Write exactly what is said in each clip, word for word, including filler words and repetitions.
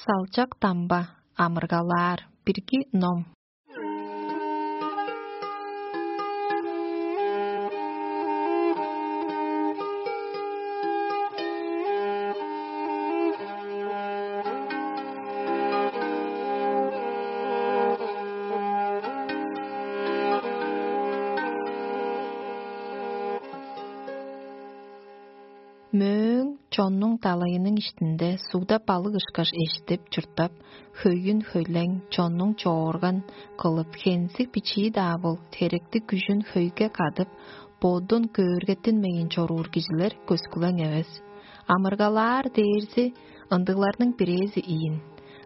Салчак дамба, амыргалаар, бирги ном. Мөөң чоннуң далайының иштинде сугда балык ышкаш эштип чурттап, хөйүн хөйлең, чоннуң чоорган кылып, хензиг бичии-даа бол, теректиг күжүн хөйге кадып, бодун көөргеттинмейн чоруур кижилер көскүлең эвес. Амыргалаар дээрзи ындыгларның бирээзи ийин.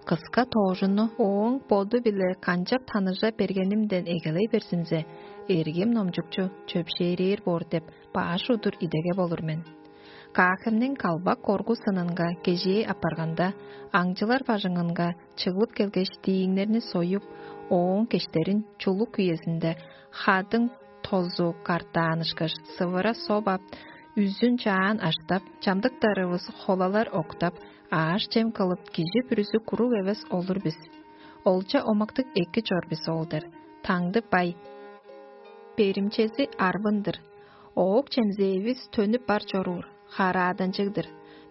Кыска тоожунну ооң боду-биле канчап таныжа бергенимден эгелей берзимзе, эргим номчукчу чөпшээрээр боор деп баш удур идеге болур мен. Каахемниң калбак коргу сынынга кежээ апарганда, аңчылар бажыңынга чыглып келгеш, дииңнерни союп, ооң кештерин чулук үезинде хадың тозу картаанышкаш, сывыра соп ап, үзүн чаан аштап, чамдыктарывыс холалар октап, ааш-чем кылып, кижи бүрүзү куруг эвес олур бис. Олча омактыг эки чор бис ол-дыр. Таңды бай. Беримчези арбын-дыр. Оок чемзээвис төнүп бар чоруур, харааданчыг-дыр.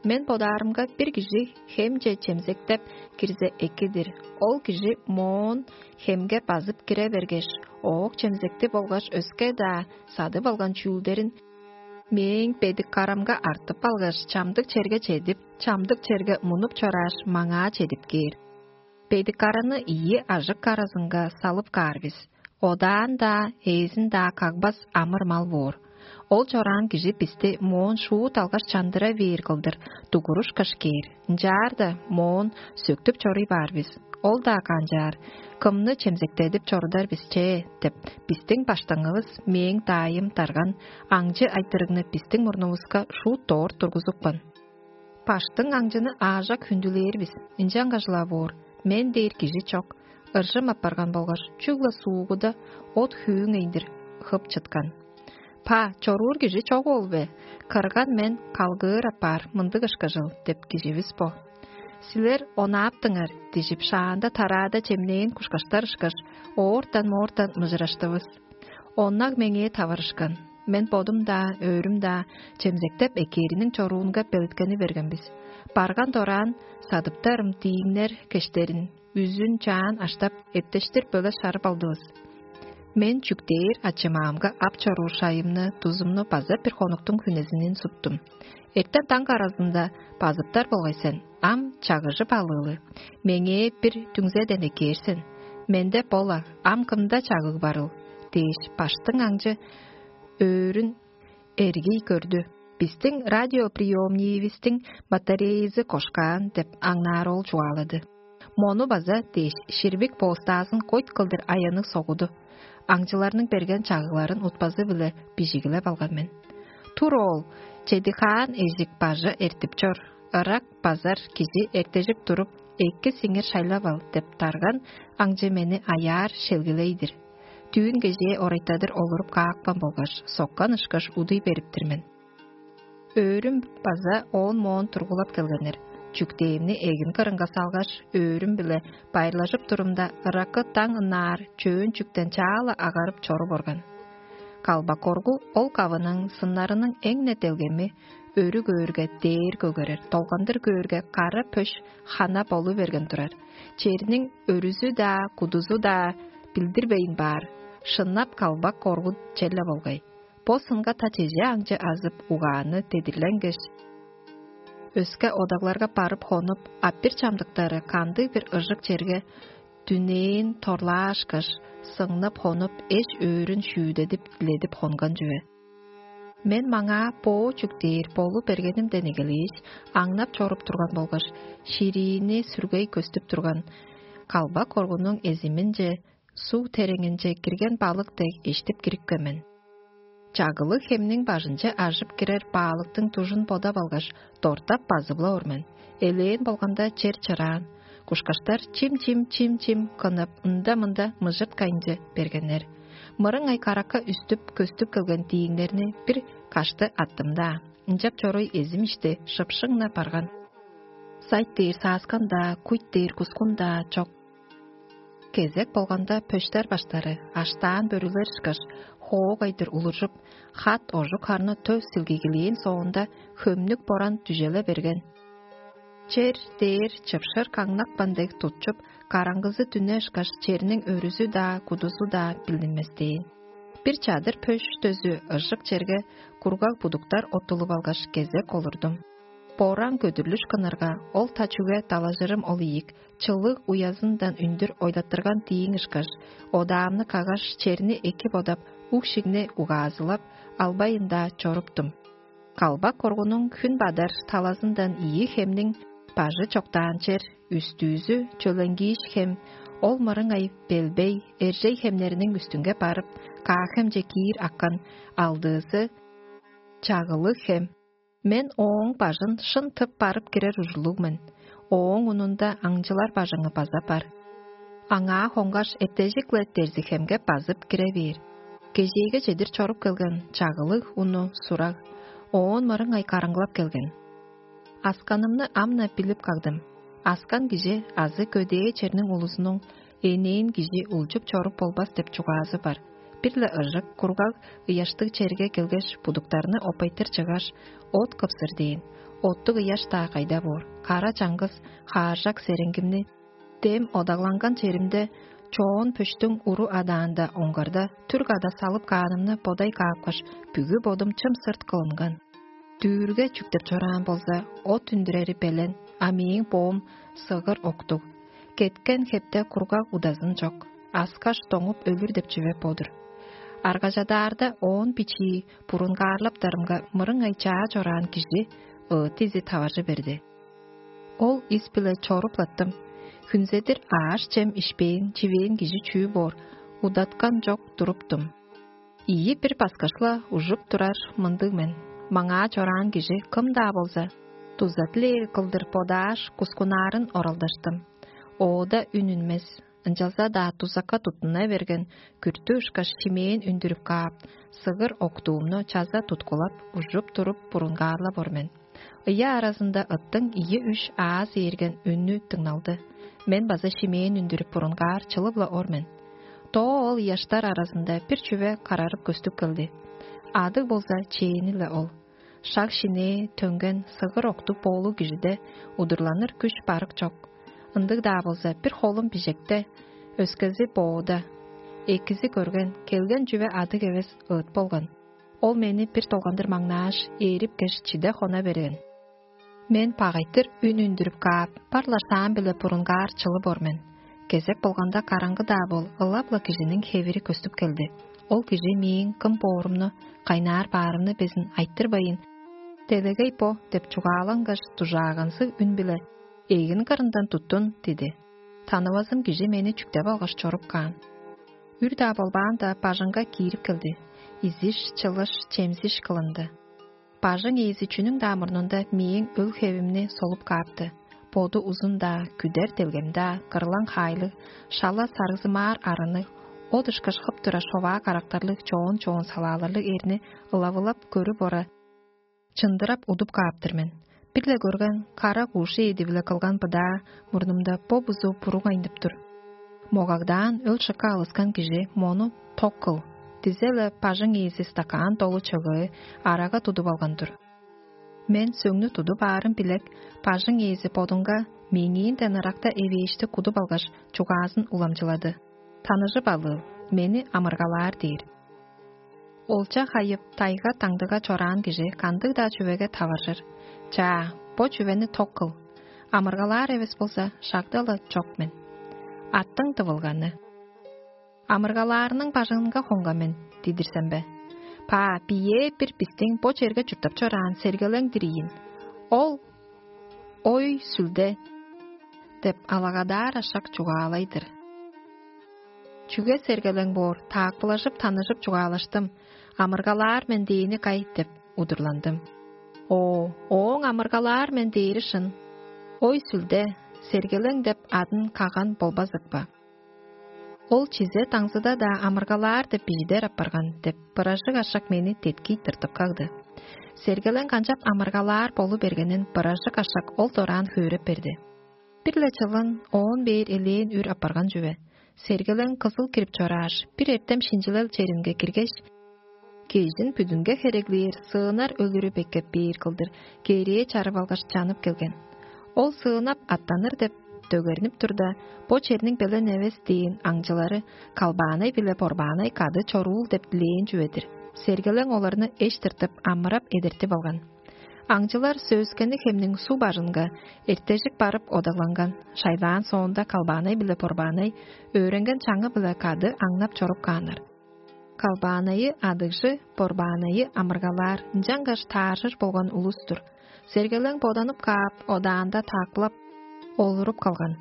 Мен бодаарымга бир кижи хемче чемзектеп кирзе экидир. Ол кижи моон хемге базып кире бергеш, оок чемзекти болгаш өске-даа садып алган чүүлдерин мээң бедик карамга артып алгаш, чамдык черге чедип, чамдык черге мунуп чорааш, маңаа чедип кээр. Бедик караны ийи ажык каразынга салып каар бис. Одаан-даа, ээзин-даа кагбас амыр-мал боор. Ол чораан кижи бисти моон шуут алгаш чандыра бээр кылдыр дугурушкаш кээр. Ынчаарда моон сөктүп чоруй баар бис. Ол-даа канчаар, кымны чемзектедип чорудар бис че деп, бистиң баштыңывыс мээң даайым дарган аңчы айтырыгны бистиң мурнувуска шуут доор тургузупкан. Баштың аңчыны аажак хүндүлээр бис, ынчангаш-ла боор, мен дээр кижи чок, ыржым апарган болгаш чүгле суугуда от-хүүң эйндир хып чыткан. Па, чоруур кижи чок ол бе? Кырган мен калгыыр апаар мындыг ышкажыл деп киживис бо. Силер онааптыңар, дижип, шаанда тараада чемнээн кушкаштар ышкаш, оортан-моортан мыжыраштывыс. Оннаг меңээ таварышкан. Мен бодум-даа, өөрүм-даа чемзектеп экээриниң чоруунга белеткени берген бис. Барган дораан садыптарым дииңнер кештерин үзүн чаан аштап, эптештир бөле шарып алдывыс. Мен чүктээр ачымаамга ап чоруур шайымны, дузумну база бир хонуктуң хүнезинин суптум. Эртен даң аразында базыптар болгай сен, ам чагыжып алыылы. Меңээ бир дүңзеден экээр сен. Менде бола, ам кымда чагыг барыл? Дээш, баштың аңчы өөрүн эргий көрдү. Бистиң радиоприемниивистиң батареязы кошкаан деп аңнаар ол чугаалады. Мону база дээш, ширбик боостаазын койт кылдыр аянныг согуду. Аңчыларның берген чагыгларын утпазы-биле бижигилеп алган мен. Тур оол, чедигаан эжик бажы эртип чор, ырак базар кижи эртежик туруп, эки сиңир шайлап ал деп тарган аңчы мени аяар шелгилей-дир. Түүн кежээ орайтадыр олуруп каапкан болгаш, соккан ышкаш удуй бериптир мен. Өөрүм база оон-моон тургулап келгеннер. Чүктээвни эгин кырынга салгаш, өөрүм-биле байырлажып турумда, ыракы даң ынаар чөөн чүктен чаала агарып чоруп орган. Калбак коргу ол кавының сыннарының эң-не делгеми өрү көөрге, дээр көгерер, долгандыр көөрге, кара пөш хана болу берген турар. Черниң өрүзү-даа, кудузу-даа билдирбейн баар, шыннап калбак коргу черле болгай. Бо сынга та чеже аңчы азып, угааны тедирленгеш, өске одагларга барып хонуп, а бир чамдыктары кандыг-бир ыжык черге дүнээн торлаашкаш, сыңнып хонуп, эш-өөрүн шүүдедип, диледип хонган чүве. Мен маңаа боо чүк дээр болу бергенимден эгелээш, аңнап чоруп турган болгаш, шириини сүргей көстүп турган калбак коргунуң эзиминче, суг тереңинче кирген балык дег эштип кирипкен мен. Чагылыг хемниң бажынче ажып кирер баалыктың дужун бодап алгаш, дортап базып-ла ор мен. Элээн болганда чер чыраан. Кушкаштар чим-чим, чим-чим кынып, ында-мында мыжырткайынче бергеннер. Мырыңай каракка үстүп, көстүп келген дииңнерни бир кашты аттым-даа. Ынчап чоруй эзим ишти шыпшың-на барган. Сайт дээр сааскан-даа, куйт дээр кускун-даа чок. Кезек болганда пөштер баштары аштаан бөрүлер ышкаш, хоогайдыр улуржуп, хат ожук харны төс силгигилээн соонда, хөмнүк боран дүжеле берген. Чер дээр чыпшыр каңнакпан дег тутчуп, караңгызы дүне ышкаш, черниң өрүзү-даа, кудузу-даа билдинместээн. Бир чадыр пөш дөзү ыжык черге кургаг будуктар оттулуп алгаш, кезек олурдум. Бораан көдүрлүш кынырга, ол та чүге далажырым ол ийик, чылыг уязындан үндүр ойлаттырган дииң ышкаш, одаамны каггаш, черни эки бодап, уг-шигни угаазылап, албайында чоруптум. Калбак коргунуң хүн бадар талазындан ийи хемниң бажы чоктаан чер, үстүүзү чөленгииш хем, ол мырыңай белбей, эржей хемнериниң үстүнге барып, каахемче киир аккан, алдыызы чагылыг хем. Мен ооң бажын шын тып барып кирер ужурлуг мен. Ооң унунда аңчылар бажыңы база бар. Аңаа хонгаш, эттежик-ле дерзихемге базып кире бээр. Кежээге чедир чоруп келген чагылыг уну сураг, оон мырыңай караңгылап келген. Асканымны ам-на билип кагдым. Аскан кижи азы көдээ черниң улузунуң энээн кижи улчуп чоруп болбас деп чугаазы бар. Бир-ле ыжык, кургаг ыяштыг черге келгеш, будуктарны опайтыр чыггаш, от кыпсыр дээн. Оттуг ыяш-даа кайда боор, кара чаңгыс хааржак сереңгимни дем одагланган черимде, чоон пөштүң уру адаанда оңгарда, түр када салып каанымны бодай каапкаш, бүгү бодум чым сырт кылынган. Дүүрге чүктеп чораан болза, от үндүрери белен, а мээң боом сыгыр октуг. Кеткен хепте кургаг удазын чок, аскаш доңуп өлүр деп чүве бо-дур. Аргажадаарда оон бичии бурунгаарлаптарымга мырыңай чаа чораан кижи ыыт изи таваржы берди. Ол ис-биле чоруп-латтым. Хүнзедир ааш-чем ишпээн, чивээн кижи чүү боор, удаткан чок туруптум. Ийи бир баскышла ужуп турар мындыг мен: маңаа чораан кижи кым-даа болза, дуза дилээр кылдыр бодааш, кускунаарын оралдаштым. Оода үн үнмес, ынчалза-даа дузакка туттуна берген күртү ышкаш шимээн үндүрүп каап, сыгыр октуумну чаза туткулап, ужуп туруп бурунгаарлап ор мен. Ыя аразында ыттың ийи-үш аас ээрген үннү дыңналды. Мен база шимээн үндүрүп бурунгаар чылып-ла ор мен. Доо ол ыяштар аразында бир чүве карарып көстүп келди. Адыг болза чээни-ле ол. Шак шинээ төнген сыгыр октуп боолуг кижиде удурланыр күш барык чок. Ындыг-даа болза, бир холум бижекте, өскези боуда. Экизи көрген, келген чүве адыг эвес ыыт болган. Ол мени бир долгандыр маңнааш, ээрип кеш, чиде хона берген. Мен багайтыр үн үндүрүп каап, бар-ла шаам-биле бурунгаар чылып ор мен. Кезек болганда, караңгы-даа бол, ылап-ла кижиниң хевири көстүп келди. Ол кижи мээң кым боорумну, кайнаар баарымны безин айтырбайн, «Делегей бо» деп чугаалангаш, дужааганзыг үн-биле: «Эгин кырындан туттун» – диди. Танывазым кижи мени чүктеп алгаш чоруп каан. Үр-даа болбаанда, бажыңга киирип келди. Изиш, чылыш, чемзиш кылынды. Бажың ээзи чүнүң-даа мурнунда мээң өл-хевимни солуп каапты. Боду узун-даа, күдер делгем-даа, кырлаң хаайлыг, шала саргзымаар арынныг, от ышкаш хып тура шоваа карактарлыг, чоон-чоон салааларлыг эрни ылавылап көрүп ора, чындырап удуп кааптыр мен. Бир-ле көрген кара кууши эди-биле кылган быдаа мурнумда бо-бузу буруг айнып тур. Могагдаан өл-шыкка алыскан кижи мону ток кыл, дизе-ле бажың ээзи стакаан долу чыгыы арага тудуп алган-дыр. Мен сөңнү тудуп аарым билек, бажың ээзи бодунга меңээнден ыракта эвээшти кудуп алгаш, чугаазын уламчылады: «Таныжып алыыл, мени амыргалаар» – дээр. Олча хайып, тайга-таңдыга чораан кижи кандыг-даа чүвеге таваржыр: «Чаа, бо чүвени ток кыл. Амыргалаар эвес болза, шагда-ла чок мен». Аттың дывылганы. «Амыргалаарының бажыңынга хонган мен» – дидир сен бе? Па, бие бир бистиң бо черге чурттап чораан сергелең-дир ийин. Ол: «Ой, сүлде!» – деп алагадаар ашак чугаалай-дыр. «Чүге сергелең боор, таакпылажып, таныжып чугаалаштым. Амыргалаар мен дээни кай?» – деп удурландым. Оо, ооң «амыргалаар мен» дээри шын. «Ой, сүлде, сергелең» деп адын каган болбазык ба? Ол чизе-даңзыда-даа «амыргалаар» деп бижидер апарган деп, быражык ашак мени деткий тыртып кагды. Сергелең канчап амыргалаар болу бергенин быражык ашак ол дораан хөөреп берди. Бир-ле чылын оон бээр элээн үр апарган чүве. Сергелең кызыл кирип чорааш, бир эртем шинчилел черинге киргеш, кежин бүдүнге хереглээр сыынар өлүрү беккеп бээр кылдыр кээрээ чарып алгаш, чанып келген. Ол сыынап аттаныр деп дөгернип турда, бо черниң белен эвес дээн аңчылары Калбаанай биле Борбаанай кады чоруул деп дилээн чүве-дир. Сергелең оларны эш тыртып, амырап эдертип алган. Аңчылар Сөөскени хемниң суу бажынга эртежик барып одагланган. Шайлаан соонда Калбаанай биле Борбаанай өөренген чаңы-биле кады аңнап чоруп кааннар. Калбаанайы адыгжы, Борбаанайы амыргалаар, ынчангаш тааржыр болган улус-тур. Сергелең боданып каап, одаанда таакпылап, олуруп калган.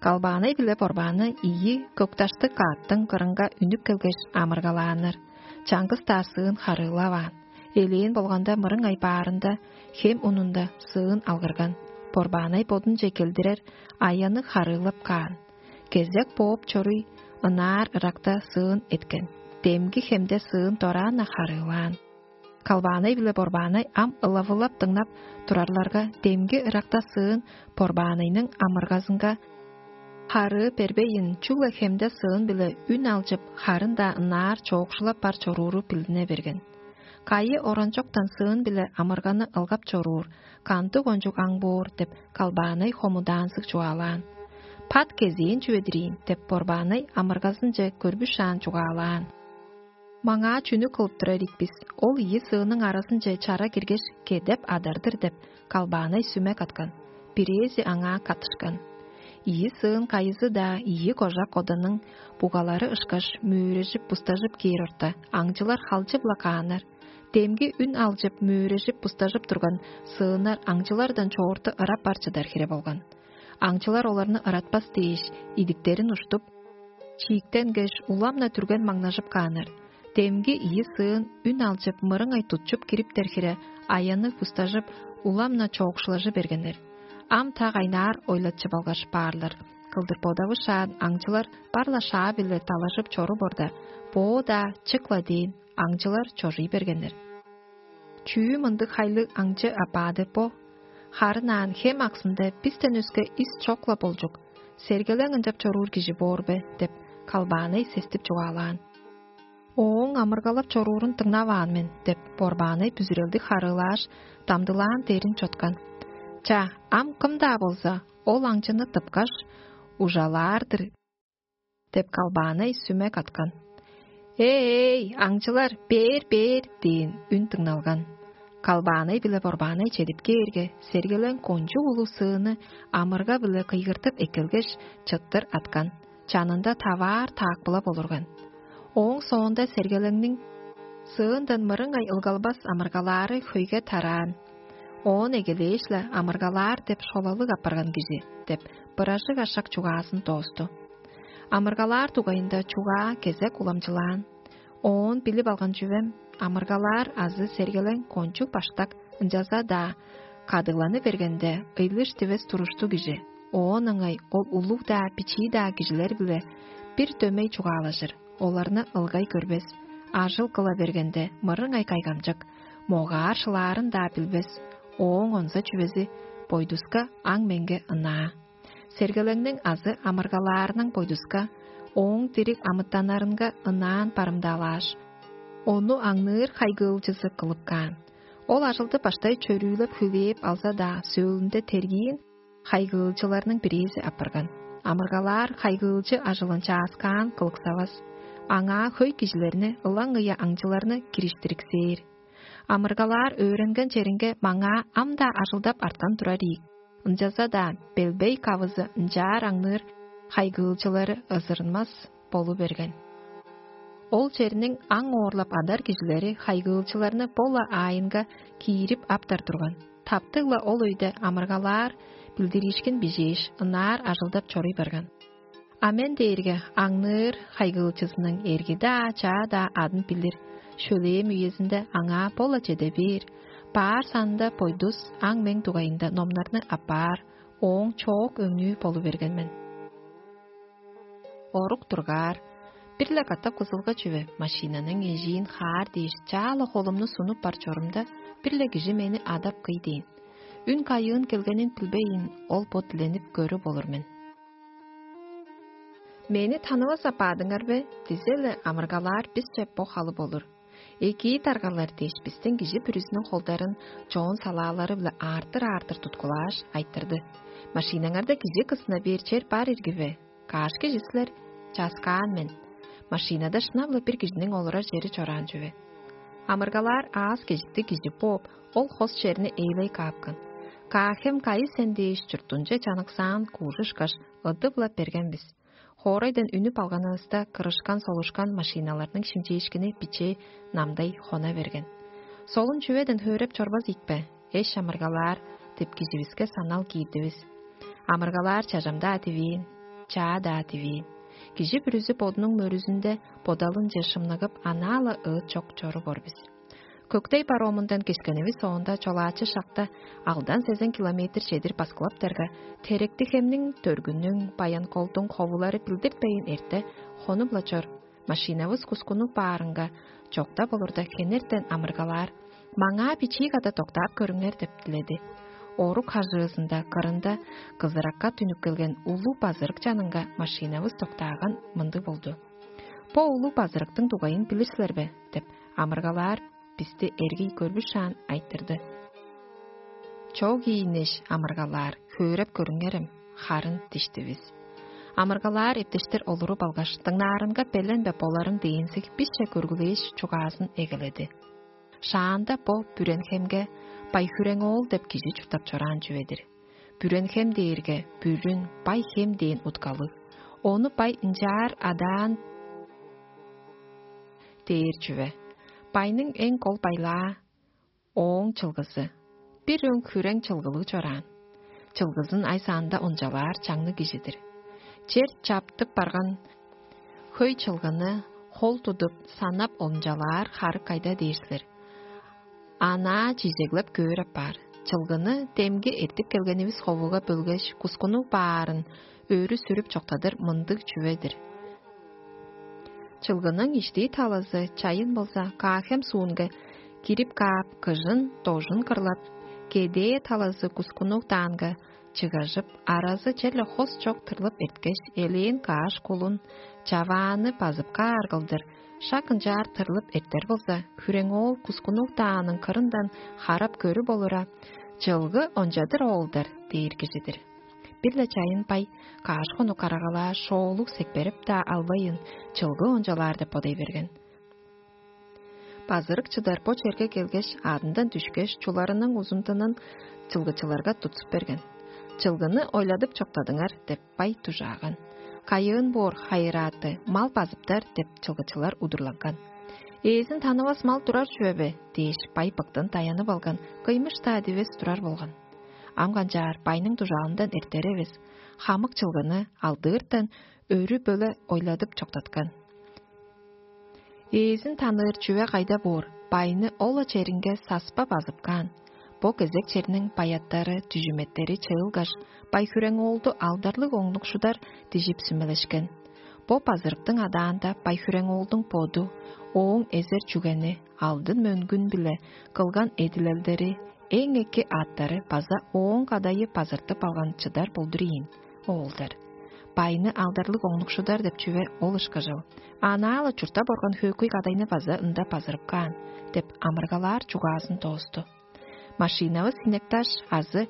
Калбаанай биле Борбаанай ийи көкташтыг кааттың кырынга үнүп келгеш, амыргалааннар. Чаңгыс-даа сыын харыылаваан. Элээн болганда мырың ай баарында хем унунда сыын алгырган. Борбаанай бодунче келдирер аянныг харыылап каан. Кезек бооп чоруй, ынаар ыракта сыын эткен. Демги хемде сыын дораан-на харыылаан. Калбаанай биле Борбаанай ам ылавылап дыңнап турарларга, демги ыракта сыын Борбаанайның амыргазынга харыы бербейн, чүгле хемде сыын-биле үн алчып, харын-даа ынаар чоокшулап бар чорууру билдине берген. Кайы оранчоктан сыын-биле амырганы ылгап чоруур, кандыг кончуг аң боор деп, Калбаанай хомудаанзыг чугаалаан. Пат кезээн чүве-дир ийин деп, Борбаанай амыргазынче көрбүшаан чугаалаан. Маңаа чүнү кылып турар ийик бис? Ол ийи сыының аразынче чара киргеш, кедеп адыр-дыр деп, Калбаанай сүме каткан. Бирээзи аңаа каттышкан. Ийи сыын кайызы-даа ийи кожак оданның бугалары ышкаш мөөрежип-бустажып кээр орта, аңчылар халчы-ла кааннар. Демги үн алчып, мөөрежип-бустажып турган сыыннар аңчылардан чоорту ырап бар чыдар хире болган. Аңчылар оларны ыратпас дээш, идиктерин уштуп, чииктенгеш, улам-на түрген маңнажып кааннар. Демги ийи сыын үн алчып, мырыңай тутчуп кириптер хире, аянныг бустажып, улам-на чоокшулажы бергеннер. Ам та кайнаар ойлатчып алгаш баарлар кылдыр бодавышаан, аңчылар бар-ла шаа-биле далажып чоруп орда, боо-даа чык-ла дээн, аңчылар чожуй бергеннер. Чүү мындыг хайлыг аңчы апаа деп бо? Харын аан хем аксында бистен өске ис чок-ла болчук, сергелең ынчап чоруур кижи боор бе? Деп, Калбаанай сестип чугаалаан. Ооң амыргалап чоруурун дыңнаваан мен деп, Борбаанай бүзүрелдиг харыылааш, дамдылаан дээрин чоткан. Ча, ам кым-даа болза, ол аңчыны тыпкаш, ужалаар-дыр деп, Калбаанай сүме каткан. «Эй, аңчылар, бээр, бээр!» – дээн үн дыңналган. Калбаанай биле Борбаанай чедип кээрге, сергелең кончуг улуг сыыны амырга-биле кыйгыртып эккелгеш, чыттыр аткан, чанында таваар таакпылап олурган. Ооң соонда сергелеңниң сыындан мырыңай ылгалбас амыргалаары хөйге тараан. Оон эгелээш-ле амыргалаар деп шолалыг апарган кижи деп, быражык ашак чугаазын доосту. Амыргалаар дугайында чугаа кезек уламчылаан. Оон билип алган чүвем, амыргалаар азы сергелең кончуг баштак, ынчалза-даа кадыгланы бергенде ыйлыш дивес туруштуг кижи. Оон ыңай ол улуг-даа, бичии-даа кижилер-биле бир дөмей чугаалажыр, оларны ылгай көрбес, ажыл кыла бергенде мырыңай кайгамчык, могаар шылаарын-даа билбес. Ооң онза чүвези бойдуска аң-меңге ынаа. Сергелеңниң азы амыргалаарының бойдуска ооң дириг амытаннарынга ынаан барымдаалааш, ону аңныыр хайгыылчызы кылып каан. Ол ажылды баштай чөрүүлеп хүлээп алза-даа, сөөлүнде тергиин хайгыылчыларның бирээзи апарган. Амыргалаар хайгыылчы ажылын чааскаан кылыксавас, аңаа хөй кижилерни, ылаңгыя аңчыларны кириштириксээр. Амыргалаар өөренген черинге маңаа ам-даа ажылдап арткан турар ийик. Ынчалза-даа белбей кавызы ынчаар аңныыр хайгыылчылары ызырынмас болу берген. Ол черниң аң оорлап адар кижилери хайгыылчыларны бо-ла аайынга киирип аптар турган. Таптыг-ла ол өйде амыргалаар билдириишкин бижээш, ынаар ажылдап чоруй барган. А мен дээрге аңныыр хайгыылчызының эрги-даа, чаа-даа адын билир, шөлээм үезинде аңаа бо-ла чеде бээр, баар санында бойдус аң-мең дугайында номнарны аппаар, ооң чоок өңнүү болу берген мен. Орук тургаар, бир-ле катап кызылга чүве машинаның эжиин хаар дээш, чаа-ла холумну сунуп бар чорумда, бир-ле кижи мени адап кый дээн. Үн кайыын келгенин билбейн, ол бо диленип көрүп олур мен. Мени танывас апаадыңар бе? Дизе-ле амыргалаар бисче бо халып олур. Экии таргалар дээш, бистиң кижи бүрүзүнүң холдарын чоон салаалары-биле аартыр-аартыр туткулааш, айтырды: «Машинаңарда кижи кысына бээр чер бар ирги бе? Каш кижи силер?» «Часкаан мен». Машинада шынап-ла бир кижиниң олурар чери чораан чүве. Амыргалаар аас кежиктиг кижи бооп, ол хос черни эйлей каапкан. «Каахем кайы сен?» дээш, чурттунче чаныксаан куужушкаш, ыдып-ла берген бис. Хоорайдан үнүп алганывыста, кырышкан-солушкан машиналарның шимчээшкини бичээ намдай хона берген. «Солун чүведен хөөреп чорбас ийикпе, эш амыргалаар?» — деп киживиске санал киирдивис. Амыргалаар чажамдаа дивээн, чаа-даа дивээн. Кижи бүрүзү бодунуң мөрүзүнде бодалынче шымныгып, анаа-ла ыыт чок чору бор бис. Көктей паромундан кескенивис соонда, чолаачы шакта алдан сезен километр чедир баскылаптарга, Теректи-Хемниң, Дөргүннүң, Баян-Колдуң ховулары билдиртпейн эрте, хонуп-ла чор. Машинавыс кускунуп баарынга, чокта болурда, хенертен амыргалаар: «Маңаа бичии када доктаап көрүңер» — деп диледи. Орук хажыызында, кырында, кызыракка түнүп келген улуг базырык чанынга машинавыс доктааган мындыг болду. «Бо улуг базырыктың дугайын билир силер бе?» — деп амыргалаар бисти эргий көрбүшаан айтырды. «Чок ийинеш, амыргалаар, хөөреп көрүңерем, харын» — диштивис. Амыргалаар эптештер олуруп алгаш, дыңнаарынга белен бе боларың дээнзиг бисче көргүлээш, чугаазын эгеледи. Шаанда бо Бүренхемге Бай-Хүрең-оол деп кижи чурттап чораан чүве-дир. Бүренхем дээрге бүрүн, Бай-Хем дээн уткалыг. Ону бай ынчаар адаан дээр чүве. Байның эң кол байлаа — ооң чылгызы. Бир өң хүрең чылгылыг чораан. Чылгызын ай санында ончалаар чаңныг кижи-дир. Чер чаптып барган хөй чылгыны хол тудуп, санап ончалаар харык кайда дээр силер? Анаа чижеглеп көөр апаар. Чылгыны демги эртип келгенивис ховуга бөлгеш, кускунуг баарын өрү сүрүп чоктадыр мындыг чүве-дир. Чылгының иштии талазы чайын болза, Каа-Хем суунга кирип каап, кыжын, дожун кырлап, кедээ талазы кускунуг даанга чыгажып, аразы черле хос чок тырлып эрткеш, элээн каш кулун, чавааны базып каар кылдыр, шак ынчаар тырлып эртер болза, Хүрең-оол кускунуг дааның кырындан харап көрүп олура: «Чылгы ончадыр оолдар» — дээр кижи-дир. Бир-ле чайын бай каш хонук карагалаа шоолуг секперип-даа албайын, чылгы ончалаар деп бодай берген. Базырык чыдар бо черге келгеш, аадындан дүшкеш, чуларының узундунун чылгычыларга тутсуп берген. «Чылгыны ойладып чоктадыңар» — деп бай дужааган. «Кайыын боор, хайырааты, мал базыптар» — деп чылгычылар удурланган. «Ээзин танывас мал турар чүве бе?» — дээш, бай быктан даянып алган, кыймыш-даа дивес турар болган. Ам канчаар, байның дужаалындан эртер эвес, хамык чылгыны алдыыртан өрү-бөле ойладып чоктаткан. Ээзин таныыр чүве кайда боор, байны ол-ла черинге саспа базып каан. Бо кезек черниң баяттары, дүжүметтери чыылгаш, Бай-Хүрең-оолду алдарлыг оңнукшудар дижип сүмелешкен. Бо базырыктың адаанда Бай-Хүрең-оолдуң боду, ооң эзер чүгени, алдын мөңгүн-биле кылган эдилелдери, эң эки аъттары база ооң кадайы базыртып алган чыдар болдур ийин, оолдар. Байны алдарлыг оңнукшудар деп чүве ол ышкажыл. Анаа-ла чурттап орган хөөкүй кадайны база ында базырып каан, деп амыргалаар чугаазын доосту. Машинавыс Хинекташ азы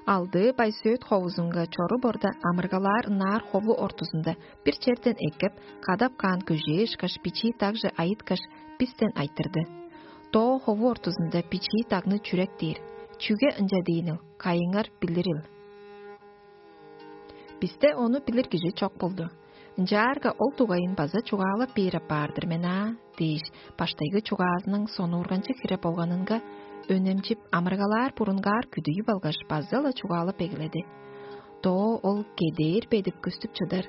Алдыы Байсөөт ховузунга чоруп орда, амыргалаар ынаар хову ортузунда бир черден эккеп, кадап каан көжээ ышкаш бичии дагже айыткаш, бистен айтырды: «Доо хову ортузунда бичии дагны чүрек дээр. Чүге ынча дээнил, кайыңар билирил?» Бисте ону билир кижи чок болду. Ынчаарга ол дугайын база чугаалап бээр апаар-дыр мен аа, дээш, баштайгы чугаазының сонуурганчыг хире болганынга өнемчип, амыргалаар бурунгаар күдүйүп алгаш, база-ла чугаалап эгеледи. Доо ол кедээр бедип көстүп чыдар.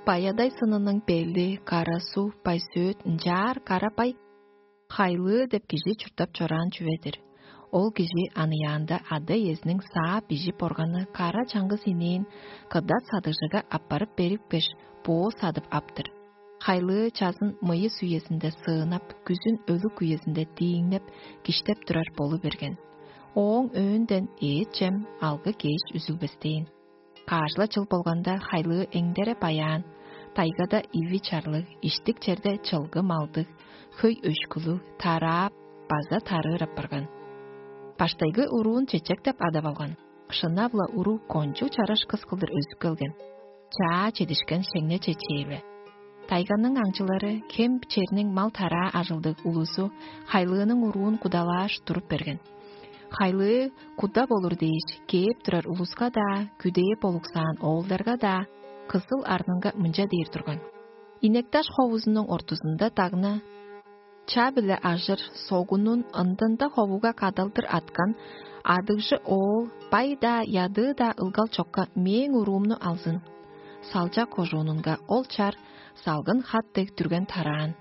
Баядай сынының бели, кара суг, байсөөт ынчаар кара бай хайлыы деп кижи чурттап чораан чүве-дир. Ол кижи аныяанда ада-иезиниң саап бижип органы кара чаңгыс иниин кыдат садыгжыга аппарып берипкеш, боо садып аптыр. Хайлыы чазын мыйыс үезинде сыынап, күзүн өлүг үезинде дииңнеп, киштеп турар болу берген. Ооң өөөнден эът-чем, алгы-кеш үзүлбестээн. Каш-ла чыл болганда, хайлыы эңдере баяан, тайгада иви чарлыг, иштик черде чылгы малдыг, хөй өшкүлүг, тараап база тарыыр апарган. Баштайгы уруун чечек деп адап алган. Шынап-ла, уруу кончуг чараш кыс кылдыр өзүп келген. Чаа чедишкен шеңне чечээве. Тайганың аңчылары, хем черниң мал-тараа ажылдыг улузу хайлыының уруун кудалааш туруп берген. Хайлыы куда болур дээш, кээп турар улуска-даа, күдээ болуксаан оолдарга-даа кызыл арнынга мынча дээр турган: «Инекташ ховузунуң ортузунда дагны ча-биле ажыр согунун ындында ховуга кадалдыр аткан адыгжы оол бай-даа, ядыы-даа ылгал чокка мээң уруумну алзын. Салчак кожуунунга ол чар салгын хат дег дүрген тараан.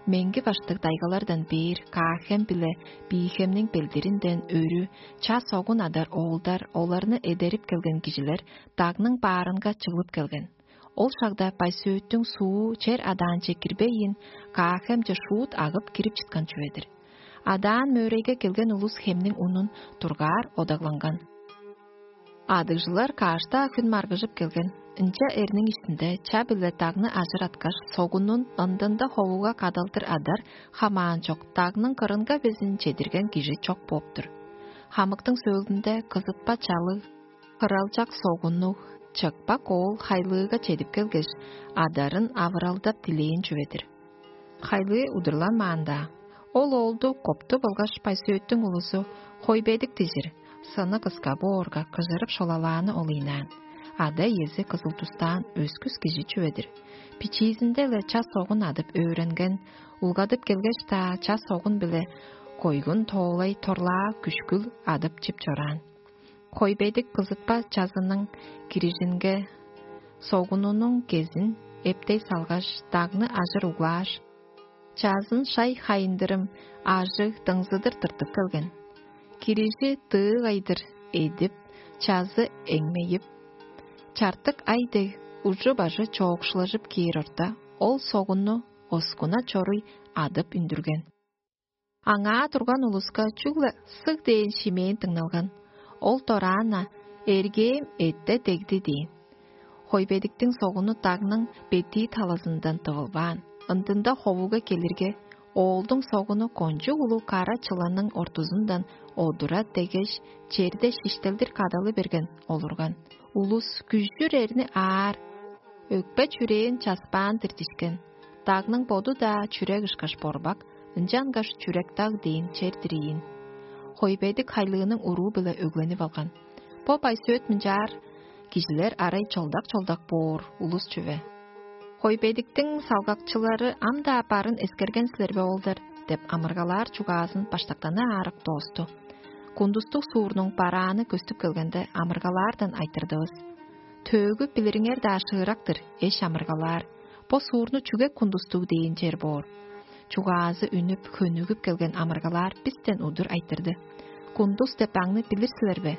Меңги баштыг дайгалардан бээр Каахем биле Биихемниң белдиринден өрү ча-согун адар оолдар, оларны эдерип келген кижилер дагның баарынга чыглып келген. Ол шагда Байсөөттүң суу чер адаанче кирбейн, Каахемче шуут агып кирип чыткан чүве-дир. Адаан мөөрейге келген улус хемниң унун дургаар одагланган. Адыгжылар каш-даа хүн маргыжып келген. Ынча эрниң иштинде ча-биле дагны ажыраткаш, согунун ындында ховуга кадалдыр адар хамаан чок, дагның кырынга безин чедирген кижи чок бооп-тур. Хамыктың сөөлүнде кызытпа чалыг, хыралчак согуннуг, чыпак оол хайлыыга чедип келгеш, адарын авыралдап дилээн чүве-дир. Хайлыы удурланмаан-даа, ол оолду копту болгаш Байсөөттүң улузу хойбедик дижир, сыны кыска боорга, кыжырып шолалааны ол ыйнаан. Ада-иези кызыл-дустаан өскүс кижи чүве-дир. Бичиизинде-ле час-согун адып өөренген, улгадып келгеш-даа, час-согун-биле койгун тоолай торлаа күшкүл адып чип чораан. Хойбедик кызытпа чазының кирижинге согунунуң кезин эптей салгаш, дагны ажыр углааш, чазын шай хайындырым ажыг дыңзыдыр тыртып келген. Кирижи дыык айдыр эдип, чазы эңмейип, чартык ай дег ужу-бажы чоокшулажып кээр орта, ол согунну оскуна чоруй адып үндүрген. Аңаа турган улуска чүгле сыг дээн шимээн дыңналган. Ол дораан-на: «Эргээм эътте дегди» – дээн. Хойбедиктиң согуну дагның бетии талазындан тывылбаан. Ындында ховуга келирге, оолдуң согуну кончуг улуг кара чыланның ортузундан одура дегеш, черде шиштелдир кадалы берген олурган. Улус күжүр эрни аар, өкпе-чүрээн часпаан-дыр дишкен. Дагның боду-даа чүрек ышкаш борбак, ынчангаш чүрек-даг дээн чер-дир ийин. Хойбедик хайлыының уруу-биле өгленип алган. Бо Байсөөт мынчаар кижилер арай чолдак-чолдак боор улус чүве. «Хойбедиктиң салгакчылары ам-даа барын эскерген силер бе, оолдар?» – деп амыргалаар чугаазын баштактаны аарак доосту. Кундустуг суурнуң барааны көстүп келгенде, амыргалаардан айтырдывыс: «Төөгү билириңер-даа шыырак-тыр, эш амыргалаар. Бо суурну чүге Кундустуг дээн чер боор?» Чугаазы үнүп, хөнүгүп келген амыргалаар бистен удур айтырды: «Кундус деп аңны билир силер бе?»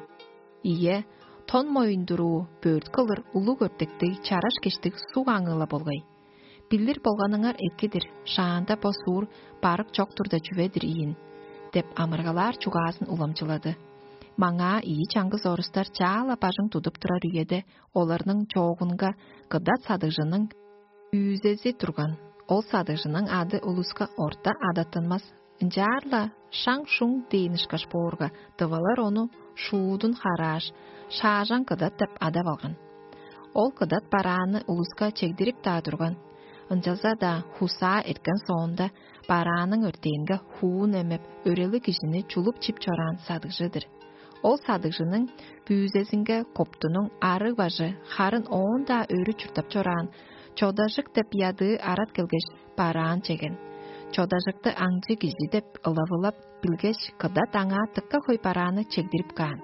«Ийе, тон моюндуруу, бөрт кылыр улуг өртектиг, чараш кештиг суг аңыы-ла болгай. Билир болганыңар эки-дир, шаанда бо суур барык чок турда чүве-дир ийин», – деп амыргалаар чугаазын уламчылады. Маңаа ийи чаңгыс орустар чаа-ла бажың тудуп турар үеде, оларның чоогунга кыдат садыгжының күүзези турган. Ол садыгжының ады улуска орта адаттынмас. Ынчаар-ла шаң-шуң дээн ышкаш боорга, тывалар ону шуудун харааш, шаажаң кыдат деп адап алган. Ол кыдат барааны улуска чегдирип-даа турган. Ынчалза-даа хусаа эрткен соонда, барааның өртээнге хуун эмеп, өрелиг кижини чулуп чип чораан садыгжы-дыр. Ол садыгжының бүүзезинге коптунуң арыг бажы, харын оон-даа өрү чурттап чораан, чодажык деп ядыы арат келгеш, бараан чеген. Чодажыкты аңчы кижи деп ылавылап билгеш, кыдат аңаа дыка хөй барааны чегдирип каан.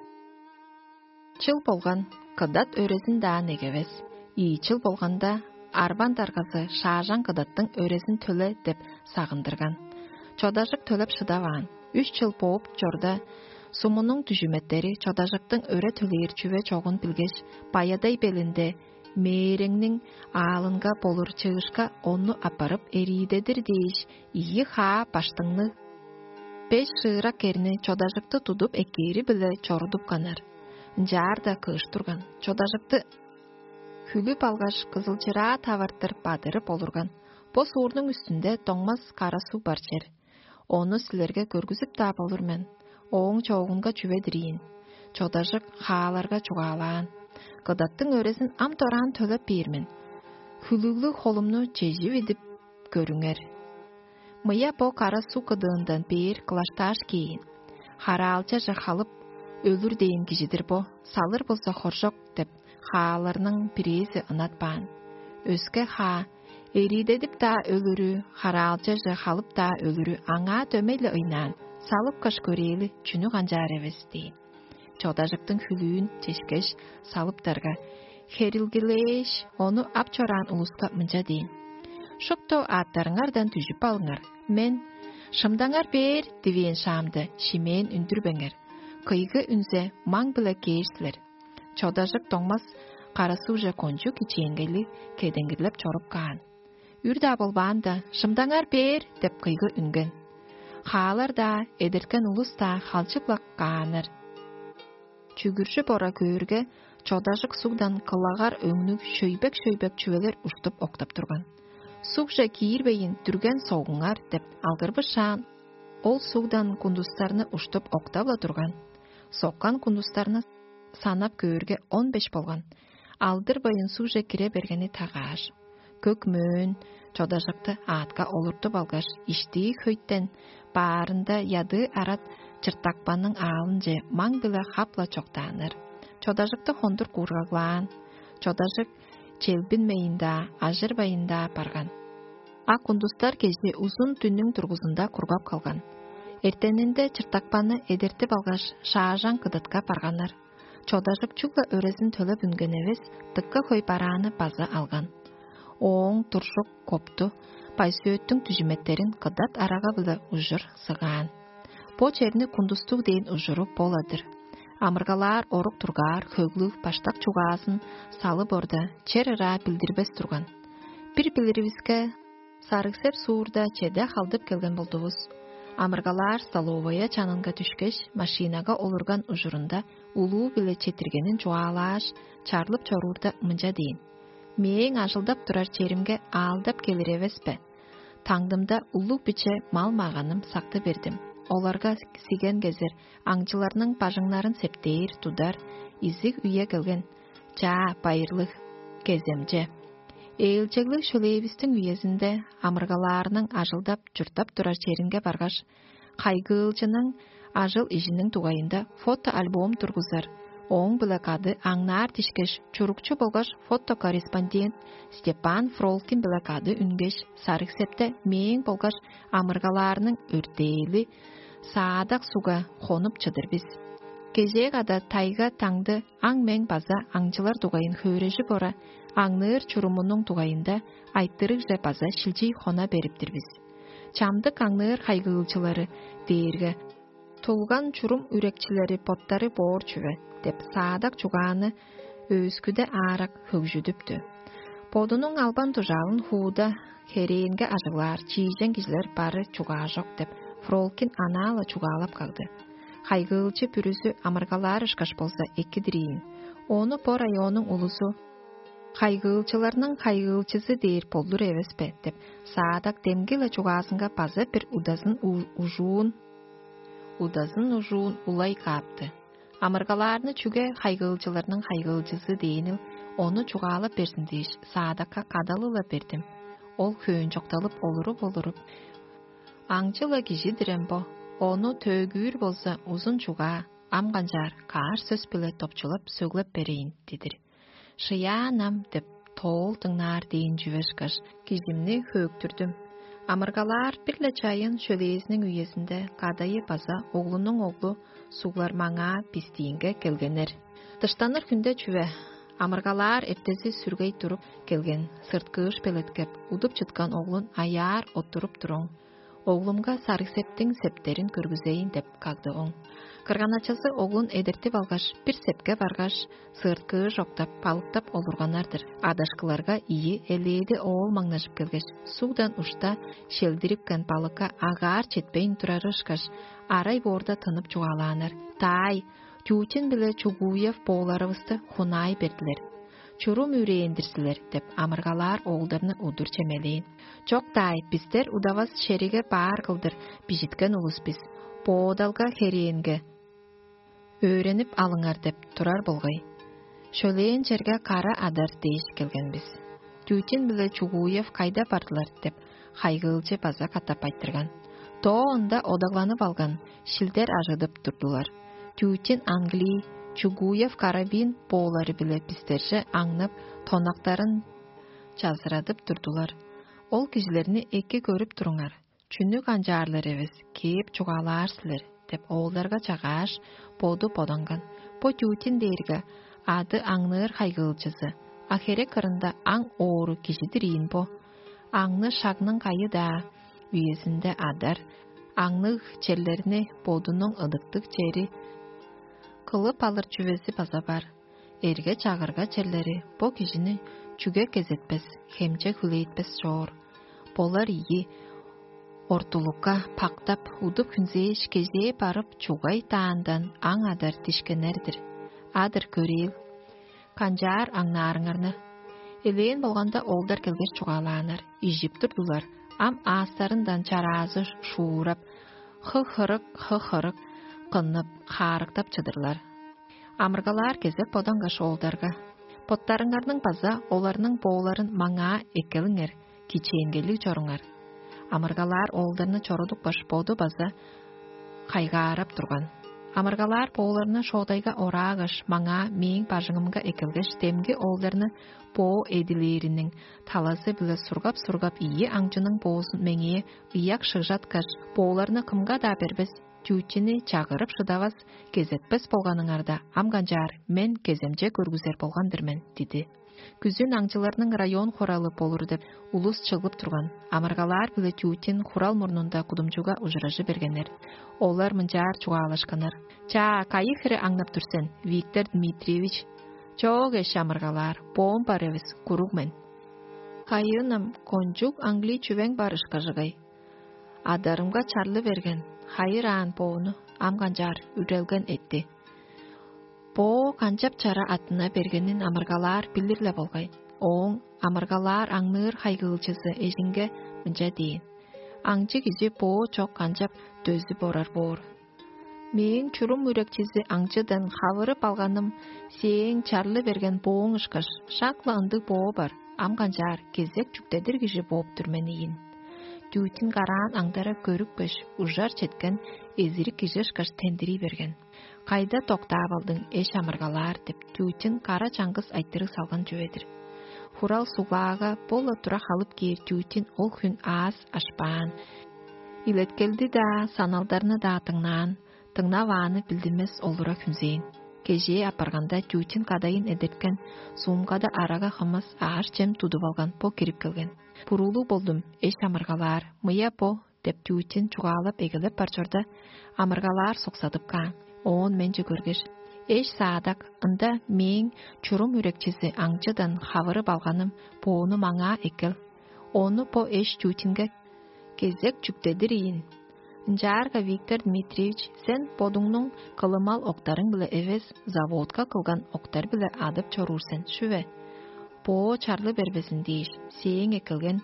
Чыл болган, кыдат өрезин-даа негевес. Ийи чыл болганда, арбан даргазы шаажаң кыдаттың өрезин төле деп сагындырган. Чодажык төлеп шыдаваан. Үш чыл бооп чорда, сумунуң дүжүметтери чодажыктың өре төлээр чүве чогун билгеш, баядай белинде Мээреңниң аалынга болур чыышка ону аппарып эриидедир дээш, ийи хаа баштыңныг беш шыырак керни чодажыкты тудуп эккээри-биле чорудупканнар. Ынчаар-даа кыыш турган, чодажыкты хүлүп алгаш, кызылчыраа тавартыр бадырып олурган. Бо суурнуң үстүнде доңмас кара суг бар чер. Ону силерге көргүзүп-даа болур мен. Ооң чоогунга чүве-дир ийин. Чодажык хааларга чугаалаан: «Кыдаттың өрезин ам дораан төлеп бээр мен. Хүлүглүг холумну чежип идип көрүңер. Мыя бо кара суг кыдыындан бээр кылаштааш кээйн. Хараалчаже халып, өлүр дээн кижи-дир бо, салыр болза хоржок» — деп, хааларның бирээзи ынатпаан. Өске хаа: «Эриидедип-даа өлүрү, хараалчаже халып-даа өлүрү аңаа дөмей-ле ыйнаан, салыпкаш көрээли, чүнү канчаар эвес» — дээн. Чодажыктың хүлүүн чешкеш, салыптарга, херилгилээш, ону ап чораан улуска мынча дээн: «Шупту аъттарыңардан дүжүп алыңар. Мен: „Шымдаңар бээр“ дивээн шаамда, шимээн үндүрбеңер. Кыйгы үнзе, маң-биле кээр силер». Чодажык доңмас кара сугже кончуг кичээнгейлиг кедеңгирлеп чоруп каан. Үр-даа болбаанда: «Шымдаңар бээр!» — деп кыйгы үнген. Хаалар-даа, эдерткен улус-даа халчып-ла кааннар. Чүгүржүп ора көөрге, чодажык сугдан кылагар өңнүг шөйбек-шөйбек чүвелер уштуп октап турган. «Сугже киирбейн, дүрген согуңар» — деп алгырбышаан, ол сугдан кундустарны уштуп октап-ла турган. Соккан кундустарны санап көөрге, он беш болган. Алдырбайн сугже кире бергени тагааш, көк мөөн чодажыкты аътка олуртуп алгаш, иштии хөйтен баарында ядыы арат чыртакпанның аалынче маң-биле хап-ла чоктааннар. Чодажыкты хондур куургаглаан. Чодажык челбинмейн-даа, ажырбайн-даа барган. А кундустар кежи узун дүннүң дургузунда кургап калган. Эртенинде чыртакпанны эдертип алгаш, шаажаң кыдатка барганнар. Чодажык чүгле өрезин төлеп үнген эвес, дыка хөй барааны база алган. Ооң туржук копту, байсөөттүң дүжүметтерин кыдат арага-биле ужур сыгаан. Бо черни кундустуг дээн ужуру бола-дыр. Амыргалаар орук тургаар хөглүг баштак чугаазын салып орда, чер ыраа билдирбес турган. Бир билиривиске, Сарыг-Сеп суурда чеде халдып келген болдувус. Амыргалаар столовая чанынга дүшкеш, машинага олурган ужурунда улуу-биле четиргенин чугаалааш, чарлып чоруурда, мынча дээн: «Мээң ажылдап турар черимге аалдап келир эвес бе? Таңдымда улуг-биче мал-маганым сакты бердим. Оларга сиген кезер, аңчыларның бажыңнарын септээр, тудар, изиг үе келген. Чаа, байырлыг, кеземче». Ээлчеглиг шөлээвистиң үезинде амыргалаарның ажылдап, чурттап турар черинге баргаш, хайгыылчының ажыл-ижиниң дугайында фотоальбом тургузар, ооң-биле кады аңнаар дишкеш, чурукчу болгаш фотокорреспондент Степан Фролкин-биле кады үнгеш, Сарыг-Септе мээң болгаш амыргалаарның өртээли Саадак сугга хонуп чыдыр бис. Кежээ када тайга-таңды, аң-мең база аңчылар дугайын хөөрежип ора, аңныыр чурумунуң дугайында айтырыгже база шилчий хона берип-тир бис. Чамдык аңныыр хайгыылчылары дээрге тулган чурум үрекчилери боттары боор чүве деп, Саадак чугааны өөскүде аарак хөгжүдүптү. Бодунуң албан-дужаалын хууда херээнге ажыглаар чиижен кижилер бары чугаажок деп, Фролкин анаа-ла чугаалап кагды. Хайгыылчы бүрүзү амыргалаар ышкаш болза, эки-дир ийин. Ону бо районнуң улузу «Хайгыылчыларның хайгыылчызы дээр болдур эвес бе?» — деп, Саадак демги-ле чугаазынга база бир удазын у- ужуун, удазын ужуун улай каапты. Амыргалаарны чүге хайгыылчыларның хайгыылчызы дээнил, ону чугаалап берзин дээш, Саадакка кадалы-ла бердим. Ол хөөн чокталып олуруп-олуруп: «Аңчы-ла кижи-дир эм бо, ону төөгүүр болза, узун чугаа, ам канчаар, каар сөс-биле допчулап, сөглеп берейн» — дидир. «Шыяан ам» — деп, тоол дыңнаар дээн чүве ышкаш, кижимни хөөктүрдүм. Амыргалаар бир-ле чайын шөлээзиниң үезинде кадайы база оглунуң оглу суглар маңаа бистиинге келгеннер. Дыштаныр хүнде чүве, амыргалаар эртези сүргей туруп келген, сырткыыш белеткеп, удуп чыткан оглун аяар оттуруп туруң. «Оглумга Сарыг-Септиң септерин көргүзейн» — деп кагды оң. Кырган-ачазы оглун эдертип алгаш, бир сепке баргаш, сыырткыы жоктап, балыктап олурганнар-дыр. Адашкыларга ийи элээди оол маңнажып келгеш, сугдан ушта шелдирипкен балыкка агаар четпейн турары ышкаш, арай боорда тынып чугаалааннар: «Даай, Тютин биле Чугуев бооларывысты хунаай бердилер. Чурум үрээн-дир силер» — деп, амыргалаар оолдарны удур чемелээн. «Чок-даай, бистер удавас шериге баар кылдыр бижиткен улус бис. Боодалга херээнге өөренип алыңар деп турар болгай. Шөлээн черге кара адар дээш келген бис. Тютин биле Чугуев кайда бардылар?» — деп, хайгыылчы база катап айтырган. Тоо ында одагланып алган, шилдер ажыдып турдулар. Тютин англий, Чугуев карабин боолары-биле бистерже аңнап, тонактарын чазырадып турдулар. «Ол кижилерни эки көрүп туруңар, чүнү канчаарлар эвес, кээп чугаалаар силер» — деп, оолдарга чагааш, боду боданган. Бо Тютин дээрге ады аңныыр хайгыылчызы, а херек кырында аң оору кижи-дир ийин бо. Аңны шагның кайы-даа үезинде адар, аңныг черлерни бодунуң ыдыктыг чери кылып алыр чүвези база бар. Эрге-чагырга черлери бо кижини чүге кезетпес, хемче хүлээтпес чоор. Болар ийи ортулукка пактап, удуп-хүнзээш, кежээ барып, чугай даандан аң адар дишкенер-дир. Адыр көрээли, канчаар аңнаарыңарны. Элээн болганда, оолдар келгеш чугаалааннар, ижип турдулар. Ам аастарындан чараазы шуурап, хы-хырык, хы-хырык кыннып, хаарыктап чыдырлар. Амыргалаар кезек бодангаш оолдарга: «Боттарыңарның база оларның бооларын маңаа эккелиңер, кичээнгейлиг чоруңар». Амыргалаар оолдарны чорудупкаш, боду база кайгаарап турган. Амыргалаар бооларны шоодайга ораагаш, маңаа мээң бажыңымга эккелгеш, демги оолдарны боо эдилээриниң талазы-биле сургап-сургап, ийи аңчының боозун меңээ ыяк шыгжаткаш: «Бооларны кымга-даа бербес, Тютини чагырып шыдавас, кезетпес болганыңарда, ам канчаар, мен кеземче көргүзер болган-дыр мен» — диди. Күзүн аңчыларның район хуралы болур деп, улус чыглып турган. Амыргалаар биле Тютин хурал мурнунда кудумчуга ужуражы бергеннер. Олар мынчаар чугаалашканнар: «Чаа, кайы хире аңнап тур сен, Виктор Дмитриевич?» «Чоок, эш амыргалаар, боом бар эвес, куруг мен». «Кайыынам, кончуг аңгылий чүвең бар ышкажыгай. Адарымга чарлы берген, хайыр аан боону ам канчаар үрелген этти». Боо канчап чара аттына бергенин амыргалаар билир-ле болгай. Ооң амыргалаар аңныыр хайгыылчызы эжинге мынча дээн: «Аңчы кижи боо чок канчап дөзүп орар боор? Мээң чурум үрекчизи аңчыдан хавырып алганым сээң чарлы берген бооң ышкаш, шак-ла ындыг боо бар, ам канчаар, кезек чүктедир кижи бооп тур мен ийин». Тютин караан аңдара көрүпкеш, ужар четкен эзирик кижи ышкаш тендирий берген. «Кайда доктаап алдың, эш амыргалаар?» — деп, Тютин кара чаңгыс айтырыг салган чүве-дир. Хурал суглаага бо-ла тура халып кээр Тютин ол хүн аас ашпаан. Илеткелди-даа, саналдарны-даа дыңнаан, дыңнавааны билдинмес олура хүнзээн. Кежээ апарганда, Тютин кадайын эдерткен, сумкада арага хымыс, аъш-чем тудуп алган, бо кирип келген. «Буруулуг болдум, эш амыргалаар, мыя бо» — деп, Тютин чугаалап эгелеп бар чорда, амыргалаар суксадып каан. Оон менче көргеш: «Эш саадак, ында мээң чурум үрекчизи аңчыдан хавырып алганым, боону маңаа эккел. Ону бо эш Тютинге кезек чүктедир ийин. Ынчаарга, Виктор Дмитриевич, сен бодуңнуң кылымал октарың-биле эвес, заводка кылган октар-биле адып чоруур сен, шүве? Боо чарлы бербезин дээш, сээң эккелген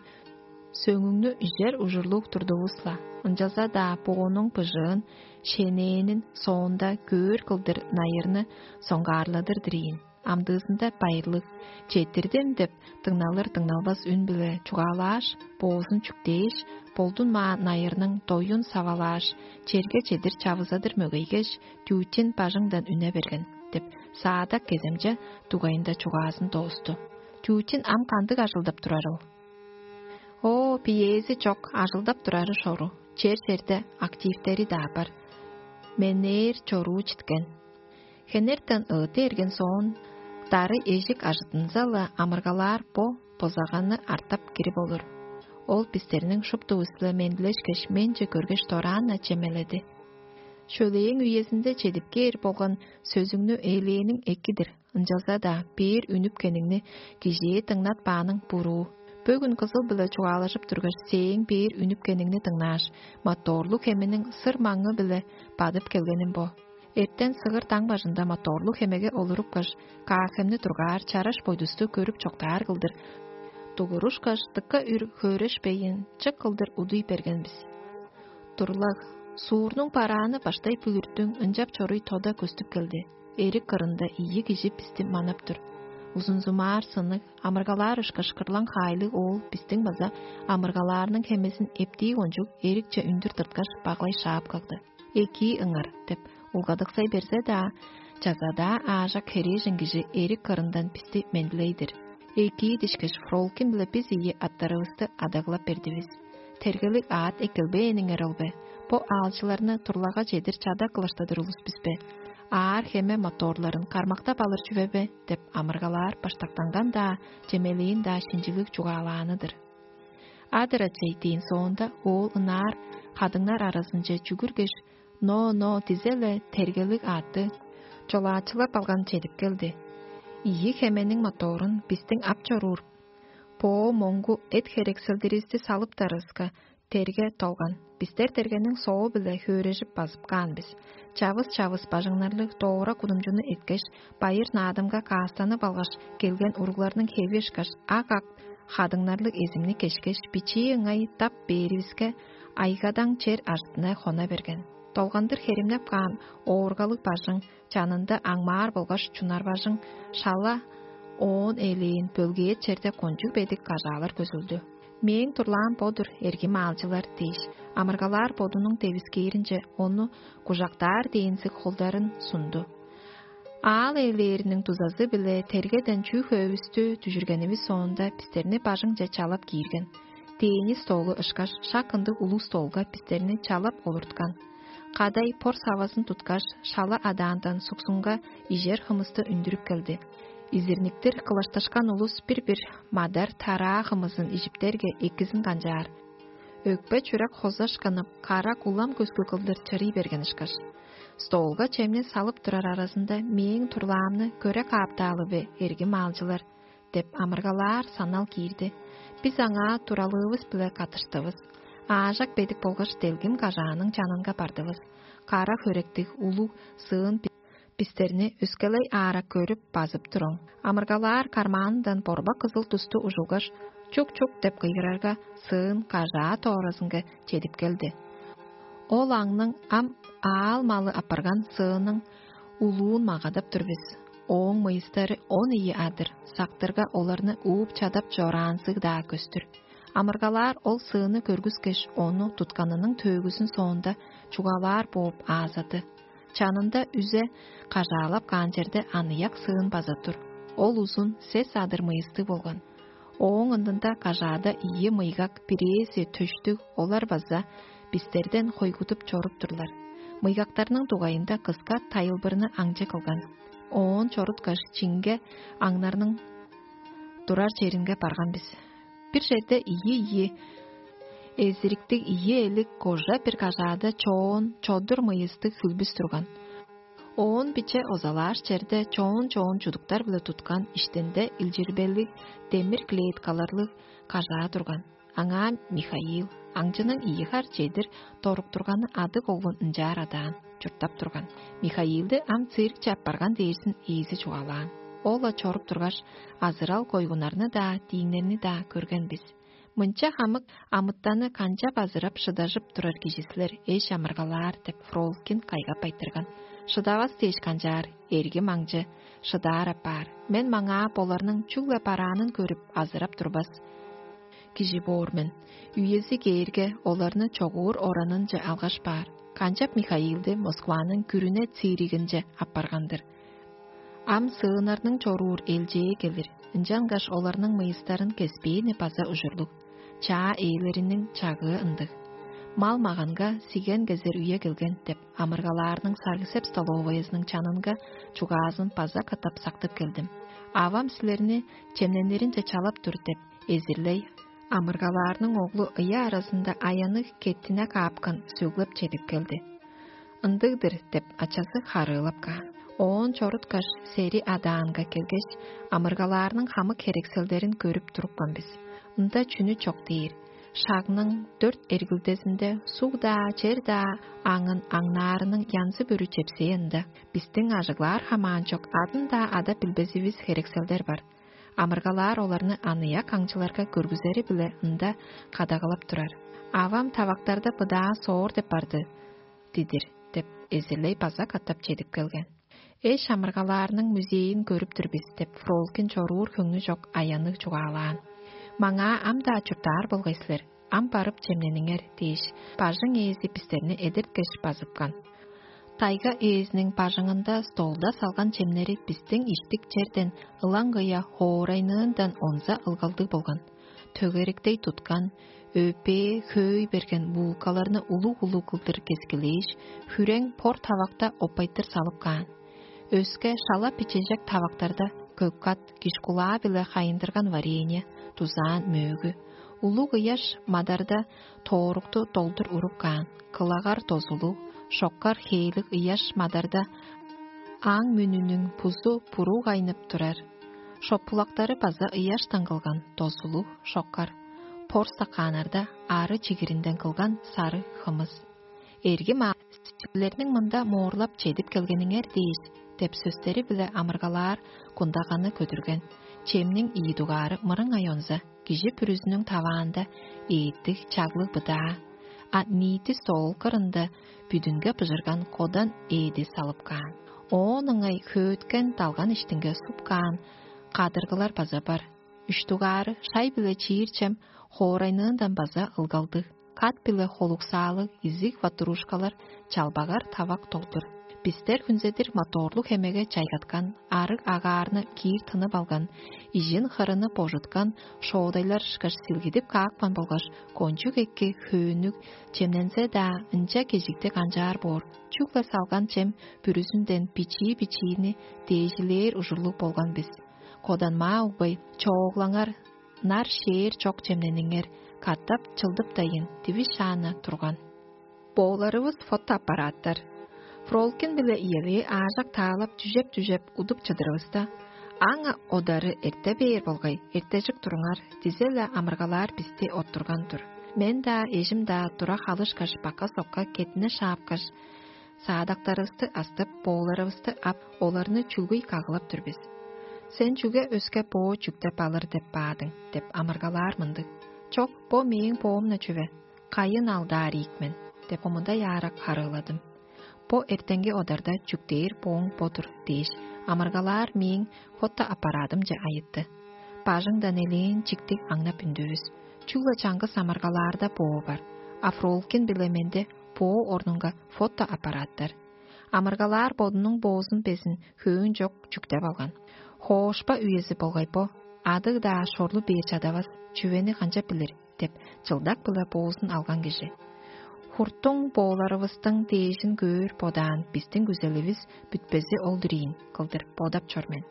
сөңүңнү ижер ужурлуг турдувус-ла, ынчалза-даа боонуң быжыын, шенээнин соонда көөр кылдыр найырны соңгаарладыр-дыр ийин. Амдыызында байырлыг, четтирдим» — деп, дыңналыр-дыңналбас үн-биле чугаалааш, боозун чүктээш, болдунмаан найырның доюн савалааш, черге чедир чавызадыр мөгейгеш, Тютин бажыңдан үне берген, — деп, саадак кеземче дугайында чугаазын доосту. Тютин ам кандыг ажылдап турарыл? О, биээзи чок, ажылдап турары шору, чер-черде активтери-даа бар. Менээр чоруу читкен. Хенертен ыыты эрген соон, дары эжик ажыттынза-ла, амыргалаар бо бозаганы артап кирип олур. Ол бистерниң шуптувус-биле мендилешкеш, менче көргеш, дораан-на чемеледи. Шөлээң үезинде чедип кээр болган сөзүңнү ээлээниң эки-дир, ынчалза-даа бээр үнүпкениңни кижээ дыңнатпааның буруу. Бөгүн кызыл-биле чугаалажып тургаш, сээң бээр үнүпкениңни дыңнааш, моторлуг хемениң сыр маңы-биле бадып келгеним бо. Эртен сыгыр даң бажында моторлуг хемеге олурупкаш, каахемни тургаар чараш бойдусту көрүп чоктаар кылдыр, дугурушкаш, дыка үр хөөрешпейн, чык кылдыр удуй берген бис. Турлаг, суурнуң барааны баштай бүлүртүң ынчап чоруй тода көстүп келди. Эрик кырында ийи кижи бисти манап тур. Узунзумаар сынык, амыргалаар ышкаш кырлаң хаайлыг оол бистиң база амыргалаарның хемезин эптии кончуг эрикче үндүр тырткаш, баглай шаап кагды. «Экии ыңар» – деп улгадыксай берзе-даа, чаза-даа аажак херээжен кижи эрик кырындан бисти мендилей-дир. Экии дишкеш, Фролкин-биле бис ийи аттарывысты адаглап бердивис. Тергелиг аът эккелбээниңер ол бе? Бо аалчыларны турлага чедир чадап кылаштадыр улус бис бе? Аар хеме моторларын кармактап алыр чүве бе? – деп амыргалаар баштактанган-даа, чемелээн-даа шинчилиг чугаалааны-дыр. Адыр ачай дээн соонда, оол ынаар кадыңнар аразынче чүгүргеш, но-но дизе-ле тергелиг аътты чолаачылап алган чедип келди. Ийи хемениң моторун бистиң ап чоруур боо моңгу эт-херексилдиривисти салыптарывыска, терге толган. Бистер тергениң соо-биле хөөрежип базып каан бис. Чавыс-чавыс бажыңнарлыг доора кудумчуну эткеш, байыр-наадымга каастанып алгаш, келген уругларның хеви ышкаш ак-ак хадыңнарлыг эзимни кешкеш, бичии ыңай дап бээривиске, айгадаң чер ажыттынай хона берген. Долгандыр херимнеп каан ооргалыг бажың, чанында аңмаар болгаш чунар бажың, шала оон элээн бөлгээт черде кончуг бедик кажаалар көзүлдү. «Мээң турлаам бо-дур, эргим аалчылар» – дээш, амыргалаар бодунуң девискээринче ону кужактаар дээнзиг холдарын сунду. Аал ээлээриниң дузазы-биле тергеден чүү хөөвүстү дүжүргенивис соонда, бистерни бажыңче чалап киирген. Дээни столу ышкаш, шак ындыг улуг столга бистерни чалап олурткан. Кадай пор савазын туткаш, шала адаандан суксунга ижер хымысты үндүрүп келди. Изирниктир кылашташкан улус бир-бир мадар тараа хымызын ижиптерге, экизин канчаар. Өкпе-чүрек хозашкынып, кара кулам көскү кылдыр чырый берген ышкаш. Столга чемни салып турар аразында: «Мээң турлаамны көре кааптаалы бе, эргим аалчылар?» – деп амыргалаар санал киирди. Бис аңаа туралыывыс-биле каттыштывыс. Аажак бедик болгаш делгим кажааның чанынга бардывыс. Кара хөректиг улуг сыын бистерни өскелей аарак көрүп, базып туруң. Амыргалаар кармаанындан борбак кызыл тусту ужулгаш, «Чук-чук» – деп кыйгырарга, сыын кажаа тооразынга чедип келди. Ол аңның ам аал-малы апарган сыының улуун магадап тур бис. Ооң мыйыстары он ийи адыр, сактырга оларны ууп чадап чораанзыг-даа көстүр. Амыргалаар ол сыыны көргүскеш, ону тутканының төөгүзүн соонда чугаалаар бооп аазады. Чанында үзе кажаалап каан черде аныяк сыын база тур. Ол узун сес адыр мыйыстыг болган. Ооң ындында кажаада ийи мыйгак, бирээзи төштүг, олар база бистерден хойгудуп чоруп турлар. Мыйгактарның дугайында кыска тайылбырны аңчы кылган. Оон чоруткаш, чиңге аңнарның турар черинге барган бис. Бир черде ийи-ийи эзириктиг, ийи элик кожа бир кажаада чоон, чодур мыйыстыг хүлбүс турган. Оон биче озалааш черде чоон-чоон чудуктар-биле туткан, иштинде илчирбелиг демир клеткаларлыг кажаа турган. Аңаа Михаил, аңчының ийи хар чедир доруктурганы, адыг оглун ынчаар адаан, чурттап турган. Михаилди ам циркче аппарган дээрзин ээзи чугаалаан. Ол-ла чоруп тургаш, азырал койгуннарны-даа, дииңнерни-даа көрген бис. «Мынча хамык амытанны канчап азырап шыдажып турар кижи силер, эш амыргалаар?» – деп Фролкин кайгап айтырган. «Шыдавас дээш канчаар, эргим аңчы, шыдаар апаар. Мен маңаа боларның чүгле бараанын көрүп, азырап турбас кижи боор мен. Үези кээрге, оларны чогуур оранынче алгаш баар. Канчап Михаилди Москваның күрүне циригинче аппарган-дыр. Ам сыыннарның чоруур элчээ келир, ынчангаш оларның мыйыстарын кеспээни база ужурлуг. Чаа ээлериниң чагыы ындыг. Мал-маганга сиген кезер үе келген» – деп, амыргалаарның саргысеп столовоязының чанынга чугаазын база катап сактып келдим. «Авам силерни чемнениринче чалап тур» – деп, эзирлей амыргалаарның оглу ыя аразында аянныг кеттине каапкан сөглеп чедип келди. «Ындыг-дыр» – деп, ачазы харыылап каан. Оон чоруткаш, сери адаанга келгеш, амыргалаарның хамык херекселдерин көрүп турупкан бис. Ында чүнү чок дээр? Шагның дөрт эргилдезинде суг-даа, чер-даа аңын аңнаарының янзы-бүрү чепсээ ында. Бистиң ажыглаар хамаанчок адын-даа ада билбезивис херекселдер бар. Амыргалаар оларны аныяк аңчыларга көргүзери-биле ында кадагалап турар. «Авам тавактарда быдаа соор деп барды дидир» – деп, эзирлей база катап чедип келген. «Эш амыргалаарның музейин көрүп тур бис» – деп, Фролкин чоруур хөңнү чок аянныг чугаалаан. «Маңаа ам-даа чурттаар болгай силер, ам барып чемнениңер» – дээш, бажың ээзи бистерни эдерткеш базыпкан. Тайга ээзиниң бажыңында столда салган чемнери бистиң иштик черден ылаңгыя хоорайныындан онза ылгалдыг болган. Төгеректей туткан, өпээ хөөй берген булкаларны улуг-улуг кылдыр кескилээш, хүрең пор тавакта оппайтыр салып каан. Өске шала бичежек тавактарда көк-кат, киш-кулаа-биле хайындырган варенье, дузаан мөөгү, улуг ыяш мадарда тоорукту долдур уруп каан, кылагар дозулуг, шоккар хээлиг ыяш мадарда аң мүнүнүң бузу буруу кайнып турар. Шопулактары база ыяштан кылган, дозулуг, шоккар, пор стакааннарда ары чигиринден кылган сары хымыс. «Эргим аа, силерниң мында моорлап чедип келгениңер дээш» – деп сөстери-биле амыргалаар кундаганы көдүрген. Чемниң ийи дугаары мырыңай онза, кижи бүрүзүнүң таваанда ээттиг, чаглыг быдаа, а ниити стол кырында бүдүнге быжырган кодан ээди салып каан. Оон ыңай хөөткен далган иштинге суп каан кадыргылар база бар. Үш дугаары шай-биле чиир чем хоорайныындан база ылгалдыг. Кат-биле холуксаалыг изиг ватрушкалар, чалбагар тавак долдур. Бистер хүнзедир моторлуг хемеге чайгаткан, арыг агаарны киир тынып алган, ижин хырыны божуткан шоодайлар ышкаш силгидип каапкан болгаш, кончуг эки хөөннүг чемнензе-даа, ынча кежиктиг канчаар боор, чүгле салган чем бүрүзүнден бичии-бичиини дээжилээр ужурлуг болган бис. Коданмаа угбай, чооглаңар, нар-шээр чок чемнениңер, катап чылдыптайын, дивис шааны турган. Бооларывыс фотоаппараттар. Фролкин биле иевээ аажак таалап, чүжеп-чүжеп удуп чыдырывыста: «Аңа одары эрте бээр болгай, эртежик туруңар» – дизе-ле амыргалаар бисти оттурган-дыр. Мен-даа, эжим-даа тура халышкаш, бака-сокка кеттине шаапкаш, саадактарывысты астып, бооларывысты ап, оларны чүлгүй кагылап тур бис. «Сен чүге өске боо чүктеп алыр деп баадың?» – деп амыргалаар мындыг. «Чок, бо мээң боом-на чүве, кайын алдаар ийик мен» – деп омудай аарак харыыладым. «Бо эртенги одарда чүктээр бооң бо-дур» – дээш, амыргалаар мээң фотоаппаратымче айытты. Бажыңдан элээн чиктиг аңнап үндүвүс. Чүгле чаңгыс амыргалаарда боо бар, а Фролкин биле менде боо орнунга фотоаппараттар. Амыргалаар бодунуң боозун безин хөөн чок чүктеп алган. Хоошпа үези болгай бо, адыг-даа шорлу бээр чадавас, чүвени канчап билир деп, чылдак-биле боозун алган кижи. Хуртуң бооларывыстың дээжин көөр бодаан, бистиң күзеливис бүтпези ол-дур ийин кылдыр бодап чор мен.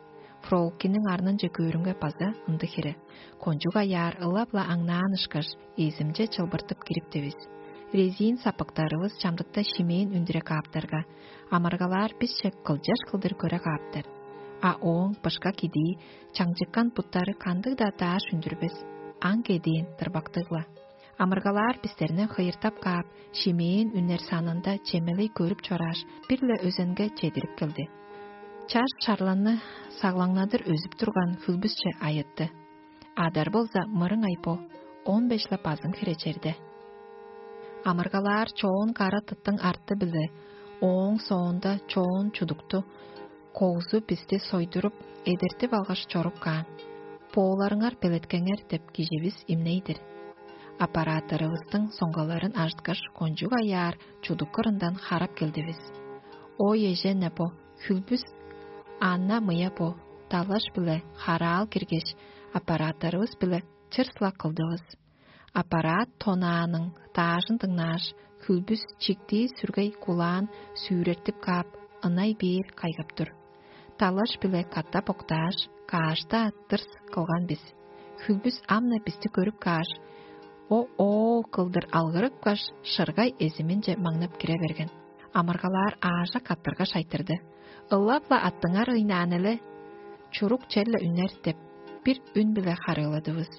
Фролкинниң арнынче көөрүмге база ындыг хире. Кончуг аяар ылап-ла аңнаан ышкаш, эзимче чылбыртып кирип дивис. Резин сапыктарывыс чамдыкта шимээн үндүре кааптарга, амыргалаар бисче кылчаш кылдыр көре кааптар. А ооң бышка кидии, чаңчыккан буттары кандыг-даа дааш үндүрбес, аң кедиин дырбактыг-ла. Амыргалаар бистерни хыйыртап каап, шимээн үнер санында чемелей көрүп чорааш, бир-ле өзенге чедирип келди. Чаш чарланны саглаңнадыр өзүп турган хүлбүсче айытты. Адар болза мырыңай бо, он беш-ле базың хире черде. Амыргалаар чоон кара тыттың арты-биле, ооң соонда чоон чудукту, когзу бисти сойдуруп, эдертип алгаш чоруп каан. «Бооларыңар белеткеңер» – деп киживис имней-дир. Аппараттарывыстың соңгаларын ажыткаш, кончуг аяар чудук кырындан харап келдивис. Ой, эжен-не бо, хүлбүс ана-мыя бо, далаш-биле хараал киргеш, аппараттарывыс-биле чырс-ла кылдывыс. Аппарат тонааның даажын дыңнааш, хүлбүс чиктии сүргей кулаан сүүрертип каап, ынай бээр кайгап тур. Далаш-биле катап октааш, каашта тырс кылган бис. Хүлбүс ам-на бисти көрүп кааш, о-оо кылдыр алгырыпкаш, шыргай эзиминче маңнап кире берген. Амыргалаар аажак каттыргаш айтырды: «Ылап-ла аттыңар ыйнаан эле, чурук черле үнер» — деп, бир үн-биле харыыладывыс.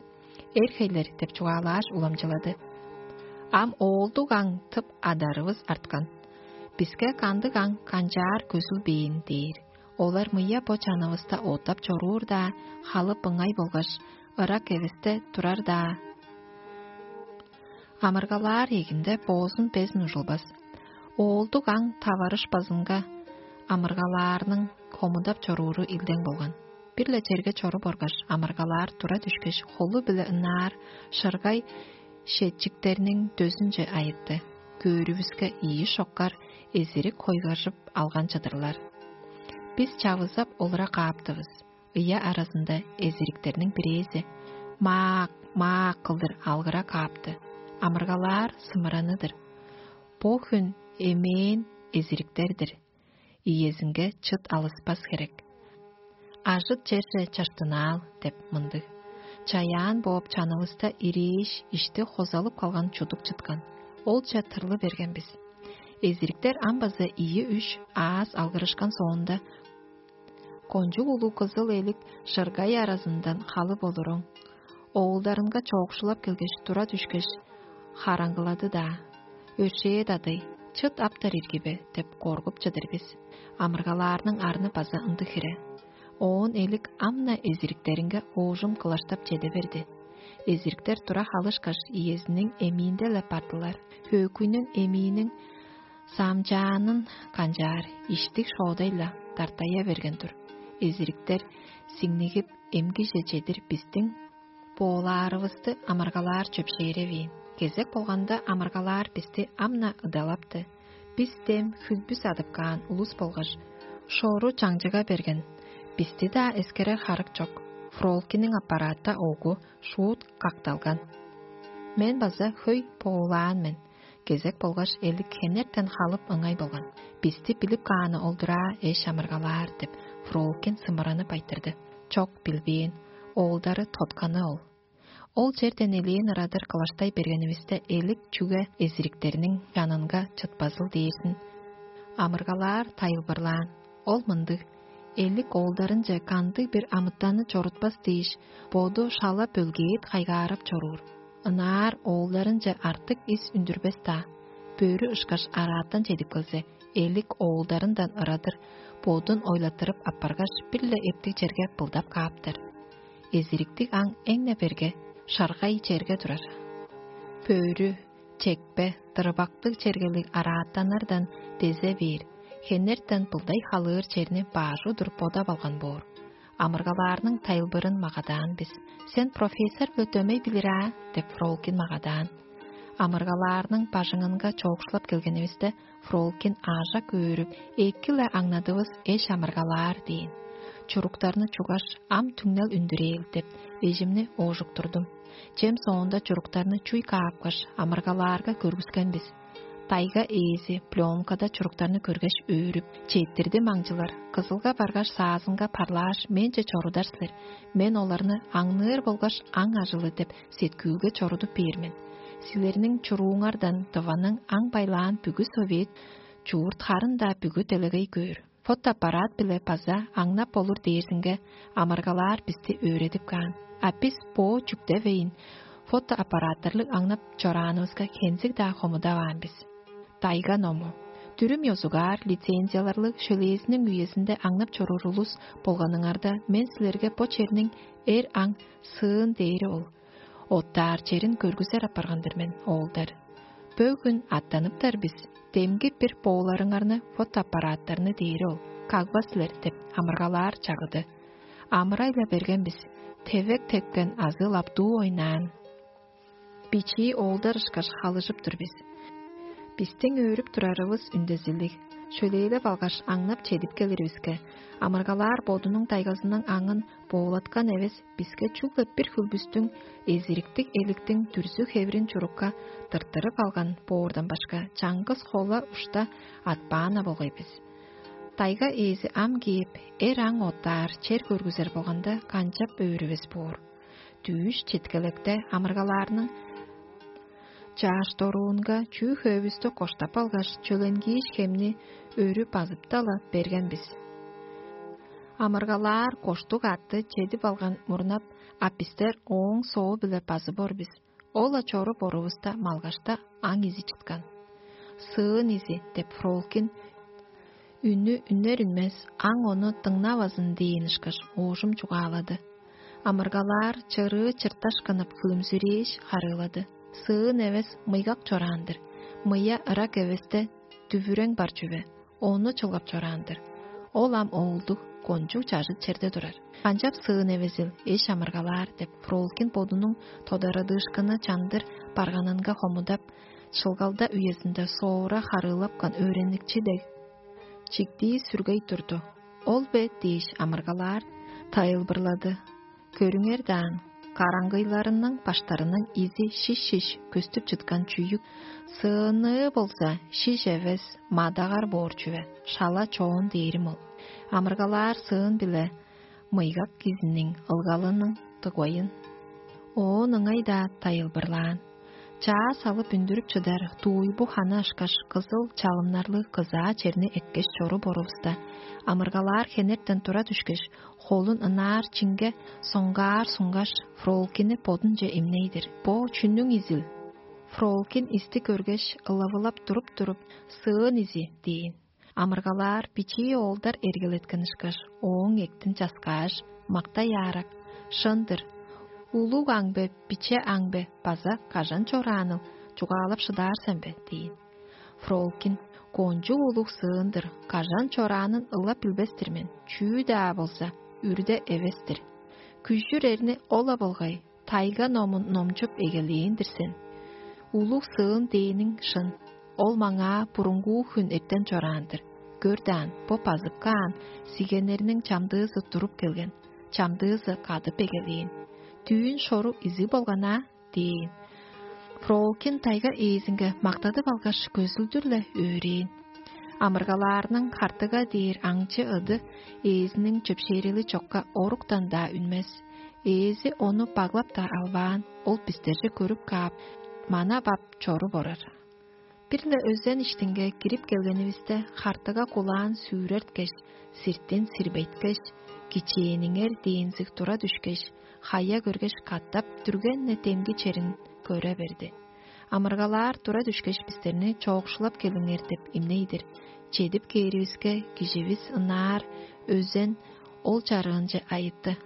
«Эр хейлер» — деп чугаалааш уламчылады. Ам оолдуг аң тып адарывыс арткан. Биске кандыг аң канчаар көзүлбээн дээр. Олар мыя бо чанывыста оттап чоруур-даа, халып ыңай болгаш, ырак эвесте турар-даа. Амыргалаар эгинде боозун безин ужулбас. Оолдуг аң таварышпазынга амыргалаарның хомудап чорууру илдең болган. Бир-ле черге чоруп оргаш, амыргалаар тура дүшкеш, холу-биле ынаар шыргай шетчиктерниң дөзүнче айытты. Көөрүвүске ийи шоккар эзирик хойгажып алган чыдырлар. Бис чавызап олура кааптывыс. Ыя аразында эзириктерниң бирээзи: «Маак, маак!» — кылдыр алгыра каапты. Амыргалаар сымыраны-дыр. Бо хүн эмээн эзириктер-дир. Иезинге чыт алыспас херек. «Ажыт черже чаштынаал» — деп мындыг. Чаяан бооп чанывыста ирээш, ишти хозалып калган чудук чыткан. Олча тырлы берген бис. Эзириктер ам база ийи-үш аас алгырышкан соонда, кончуг улуг кызыл элик шыргай аразындан халып олуруң. Оолдарынга чоокшулап келгеш, тура дүшкеш, хараңгылады-даа: «Өршээ-дадый, чыт аптар ирги бе?» — деп коргуп чыдыр бис. Амыргалаарның арны база ындыг хире. Оон элик ам-на эзириктеринге оожум кылаштап чеде берди. Эзириктер тура халышкаш, иезиниң эмиинде-ле бардылар. Хөөкүйнүң эмииниң саамчаанын канчаар, иштиг шоодай-ла дартая берген-дир. Эзириктер сиңнигип, эмгиже чедир бистиң боолаарывысты амыргалаар чөпшээревээн. Кезек болганда амыргалаар бисти ам-на ыдалапты. Бис дем хүлбүс адып каан улус болгаш, шору чаңчыга берген. Бисти-даа эскерер харык чок. Фролкиниң аппаратта огу шуут какталган. Мен база хөй боолаан мен. Кезек болгаш элик хенертен халып ыңай болган. «Бисти билип кааны олдураа, эш амыргалаар» — деп, Фролкин сымыранып айтырды. Чок, билбээн. Оолдары тотканы ол. Ол черден элээн ырадыр кылаштай бергенивисте, элик чүге эзириктерниң чанынга чытпазыл дээрзин. Амыргалаар тайылбырлаан. Ол мындыг: элик оолдарынче кандыг-бир амытанны чорутпас дээш, боду шала бөлгээт хайгаарап чоруур. Ынаар оолдарынче артык ис үндүрбес-даа. Бөрү ышкаш араатан чедип келзе, элик оолдарындан ырадыр бодун ойлаттырып аппаргаш, бир-ле эптиг черге былдап кааптар. Эзириктиг аң эң-не берге шаргай черге турар. Бөрү, чекпе, дырбактыг чергелиг араатаннардан дезе бээр, хенертен былдай халыыр черни баш удур бодап алган боор. Амыргалаарның тайылбырын магадаан бис. «Сен профессор-биле дөмей билир аа?» — деп Фролкин магадаан. Амыргалаарның бажыңынга чоокшулап келгенивисте, Фролкин аажак өөрүп: «Эки-ле аңнадывыс, эш амыргалаар» — дээн. Чуруктарны чуггаш, ам түңнел үндүрээр деп, эжимни оожуктурдум. Чем соонда чуруктарны чуй каапкаш, амыргалаарга көргүскен бис. Тайга ээзи пленкада чуруктарны көргеш, өөрүп: «Четтирди, маңчылар, Кызылга баргаш, саазынга парлааш, менче чорудар силер. Мен оларны аңныыр болгаш аң ажылы деп сеткүүлге чорудуп бээр мен. Силерниң чурууңардан Тываның аң байлаан бүгү совет чуурт харын-даа бүгү делегей көөр. Фотоаппарат-биле база аңнап болур дээрзинге, амыргалаар бисти өөредип каан. А бис бо чүктевейн, фотоаппараттарлыг аңнап чораанывыска хензиг-даа хомудаваан бис». Тайга ному. Дүрүм ёзугаар лицензияларлыг шөлээзиниң үезинде аңнап чоруур улус болганыңарда, мен силерге бо черниң эр аң сыын дээри ол. Оттаар черин көргүзер апарган-дыр мен, оолдар. Бөгүн аттаныптар бис, демги бир бооларыңарны, фотоаппараттарны дээри ол, кагба силер деп амыргалаар чагыды. Амырай-ла берген бис, тевек тепкен азы лаптуу ойнаан. Бичии оолдар ышкаш халыжып тур бис. Бистиң өөрүп турарывыс үндезилиг. Шөлээлеп алгаш, аңнап чедип келиривиске, амыргалаар бодунуң тайгазының аңын боолаткан эвес, биске чүгле бир хүлбүстүң, эзириктиг эликтиң дүрзү-хевирин чурукка тырттырып алган боордан башка, чаңгыс хола ушта атпаан-на болгай бис. Тайга ээзи ам кээп, эр аң оттаар чер көргүзер болганда, канчап өөрүвес боор? Дүъш четкелекте амыргалаарның Чааш доруунга чүү-хөөбүстү коштап алгаш, чөленгииш хемни өрү базыпта-ла берген бис. Амыргалаар коштуг атты чедип алган мурнап, а бистер ооң соо-биле базып ор бис. Ол-ла чоруп орувуста малгашта аң изи чыткан. «Сыын изи» деп Фролкин үнү үнер-үнмес, аң ону дыңнавазын дээн ышкаш оожум чугаалады. Амыргалаар чырыы чырташ кынып, хүлүмзүрээш харыылады: «Сыын эвес, мыйгак чораан-дыр. Мыя ырак эвесте дүвүрең бар чүве, ону чылгап чораан-дыр. Ол ам оолдуг, кончуг чажыт черде турар. Канчап сыын эвезил, эш амыргалаар?» — деп Фролкин бодунуң тодарадыышкыны чандыр барганынга хомудап, шылгалда үезинде соора харыылапкан өөреникчи дег чиктии сүргей турду. «Ол бе?» — дээш, амыргалаар тайылбырлады: «Көрүңер даан, караңгыйларының баштарының изи шиш-шиш көстүп чыткан чүък, сыынныы болза шиш эвес, мадагар боор чүве, шала чоон дээрим ол. Амыргалаар сыын биле мыйгак кижиниң ылгалының дугайын». Оон ыңай-даа тайылбырлаан. Чаа салып үндүрүп чыдар тууйбу ханы ышкаш кызыл чалымнарлыг кызаа черни эрткеш чоруп орувуста, амыргалаар хенертен тура дүшкеш, холун ынаар чинге соңгаар сунгаш, Фролкини бодунче имней-дир: «Бо чүнүң изил?» Фролкин исти көргеш, ылавылап туруп-туруп: «Сыын изи» — дээн. Амыргалаар бичии оолдар эргелеткен ышкаш, ооң эктин часкааш, мактай аарак: «Шын-дыр. Улуг аң бе, биче аң бе, база кажан чорааныл чугаалап шыдаар сен бе?» — дээн. Фролкин: «Кончуг улуг сыын-дыр, кажан чораанын ылап билбес-тир мен, чүү-даа болза, үрде эвес-тир. Күжүр эрни ол-ла болгай, тайга номун номчуп эгелээн-дир сен. Улуг сыын дээниң шын, ол маңаа бурунгуу хүн эртен чораан-дыр. Көр даан, бо базып каан сигеннерниң чамдыызы туруп келген, чамдыызы кадып эгелээн. Дүүн шору изиг болган аа» — дээн. Фролкин тайга ээзинге мактадып алгаш, көзүлдүр-ле өөрээн. Амыргалаарның хартыга дээр аңчы ыды ээзиниң чөпшээрели чокка оруктан-даа үнмес. Ээзи ону баглап-даа албаан, ол бистерже көрүп каап, манап ап чоруп орар. Бир-ле өзен иштинге кирип келгенивисте, хартыга кулаан сүүрерткеш, сиртин сирбейткеш, кичээниңер дээнзиг тура дүшкеш, хая көргеш, катап дүрген-не демги черин көре берди. Амыргалаар тура дүшкеш, бистерни чоокшулап келиңер деп имней-дир. Чедип кээривиске, киживис ынаар өзен ол чарыынче айытты.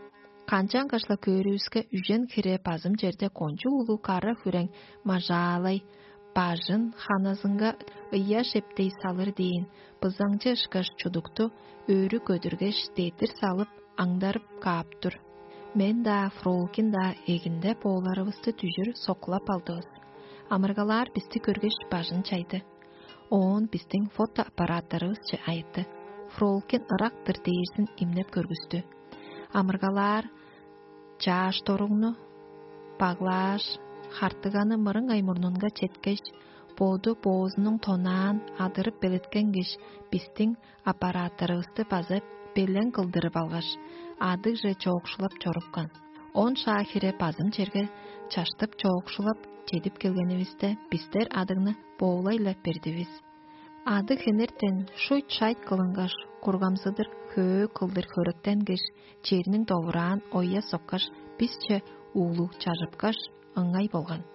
Канчангаш-ла көөрүвүске, үжен хире базым черде кончуг улуг кара хүрең мажаалай, бажын ханызынга ыяш эптей салыр дээн бызаңчы ышкаш чудукту өрү көдүргеш, дедир салып, аңдарып каап тур. Мен-даа, Фролкин-даа эгинде бооларывысты дүжүр соккулап алдывыс. Амыргалаар бисти көргеш, бажын чайды. Оон бистиң фотоаппараттарывысче айытты. Фролкин ырак-тыр дээрзин имнеп көргүстү. Амыргалаар чааш доругну баглааш, хартыганы мырыңай мурнунга четкеш, боду боозунуң тонаан адырып белеткенгеш, бистиң аппараттарывысты база белең кылдырып алгаш, адыгже чоокшулап чорупкан. Он шаа хире базым черге чаштып чоокшулап чедип келгенивисте, бистер адыгны боолай-ла бердивис. Адыг хенертен шуйт-шайт кылынгаш, кургамзыдыр хөө кылдыр хөректенгеш, черниң довураан оя соккаш, бисче уулуг чажыпкаш, ыңай болган.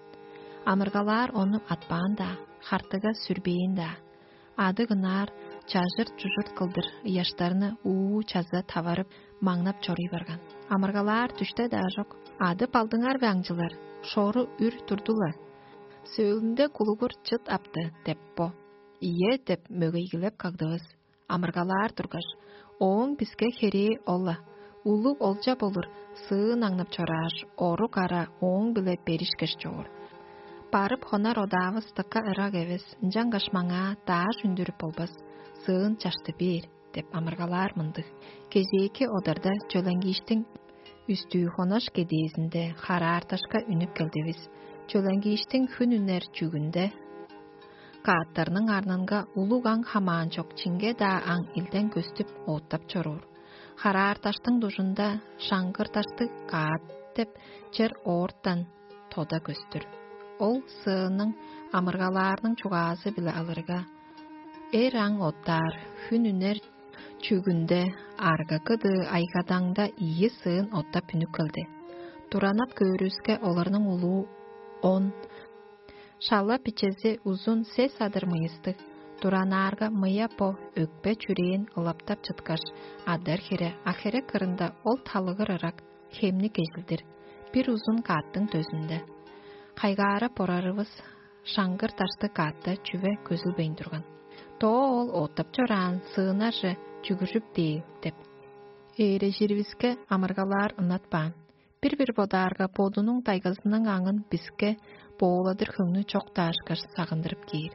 Амыргалаар ону атпаан-даа, хартыга сүрбээн-даа. Адыг ынаар чажырт-чужурт кылдыр ыяштарны уу чаза таварып, маңнап чоруй барган. Амыргалаар дүште-даа чок. «Адып алдыңар бе, аңчылар? Шору үр турду-ла. Сөөлүнде кулугур чыт апты» — деп бо. «Ийе» — деп мөгейгилеп кагдывыс. Амыргалаар тургаш: «Ооң биске херээ ол-ла. Улуг олча болур, сыын аңнап чорааш, орук ара ооң-биле беришкеш чоор. Барып хонар одаавыс дыка ырак эвес, ынчангаш маңаа дааш үндүрүп болбас, сыын чашты бээр» — деп амыргалаар мындыг. Кежээки одарда чөлеңгииштиң үстүү хонаш кедээзинде хараарташка үнүп келдивис. Чөлеңгииштиң хүн үнер чүгүнде кааттарның арнынга улуг аң хамаан чок чиңге-даа аң илден көстүп, оттап чоруур. Хараарташтың дужунда шаңгырдаштыг каат деп чер оортан тода көстүр. Ол сыының амыргалаарның чугаазы-биле алырга, эр аң оттаар, хүн үнер чүгүнде аргакыдыы айгадаңда ийи сыын оттап үнүп келди. Туранап көөрүвүске, оларның улуу он, шала бичези узун сес адыр мыйыстыг. Туранаарга мыя бо өкпе-чүрээн ылаптап чыткаш, адар хире, а херек кырында ол талыгыр ырак, хемни кежилдир, бир узун каъттың дөзүнде. Кайгаарап орарывыс шаңгыр даштыг каътта чүве көзүлбейн турган. Доо ол оттап чораан сыынарже чүгүржүп дээн деп. Ээрежиривиске амыргалаар ынатпаан. Бир-бир бодаарга, бодунуң дайгазының аңын биске бооладыр хөңнү чок даашкаш сагындырып кээр.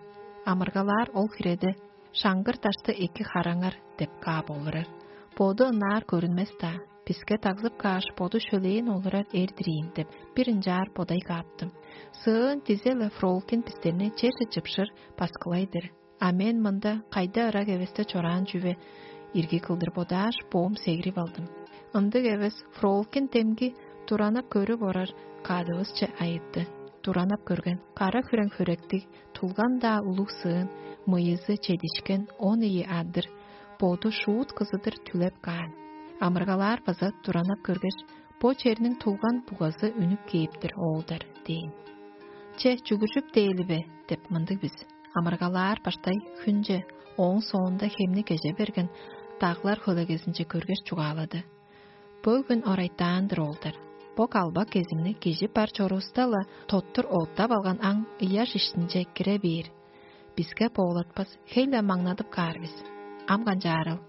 Амыргалаар ол хиреде: «Шаңгыр дашты эки хараңар» — деп каап олурар. Боду ынаар көрүнмес-даа, биске дагзып кааш, боду шөлээн олурар эр-дир ийин деп, бир ынчаар бодай кааптым. Сыын дизе-ле Фролкин бистерни черже чыпшыр, баскылай-дыр. А мен мында кайда ырак эвесте чораан чүве ирги кылдыр бодааш, боом сегирип алдым. Ындыг эвес, Фролкин демги туранап көрүп орар кадывысче айытты. Туранап көрген, кара хүрең хөректиг, тулган-даа улуг сыын, мыйызы чедишкен он ийи адыр, боду шуут кызыдыр түлеп каан. Амыргалаар база туранап көргеш: «Бо черниң тулган бугазы үнүп кээптир, оолдар» — дээн. «Че, чүгүржүп дээли бе?» — деп мындыг бис. Амыргалаар баштай хүнче, ооң соонда хемни кеже берген, даглар хөлегезинче көргеш, чугаалады: «Бөгүн орайтаан-дыр, оолдар. Бо калбак кезимни кижи бар чорувуста-ла, тоттур оттап алган аң ыяш иштинче кире бээр. Биске боолатпас, хей-ле маңнадып каар бис. Ам канчаарыл?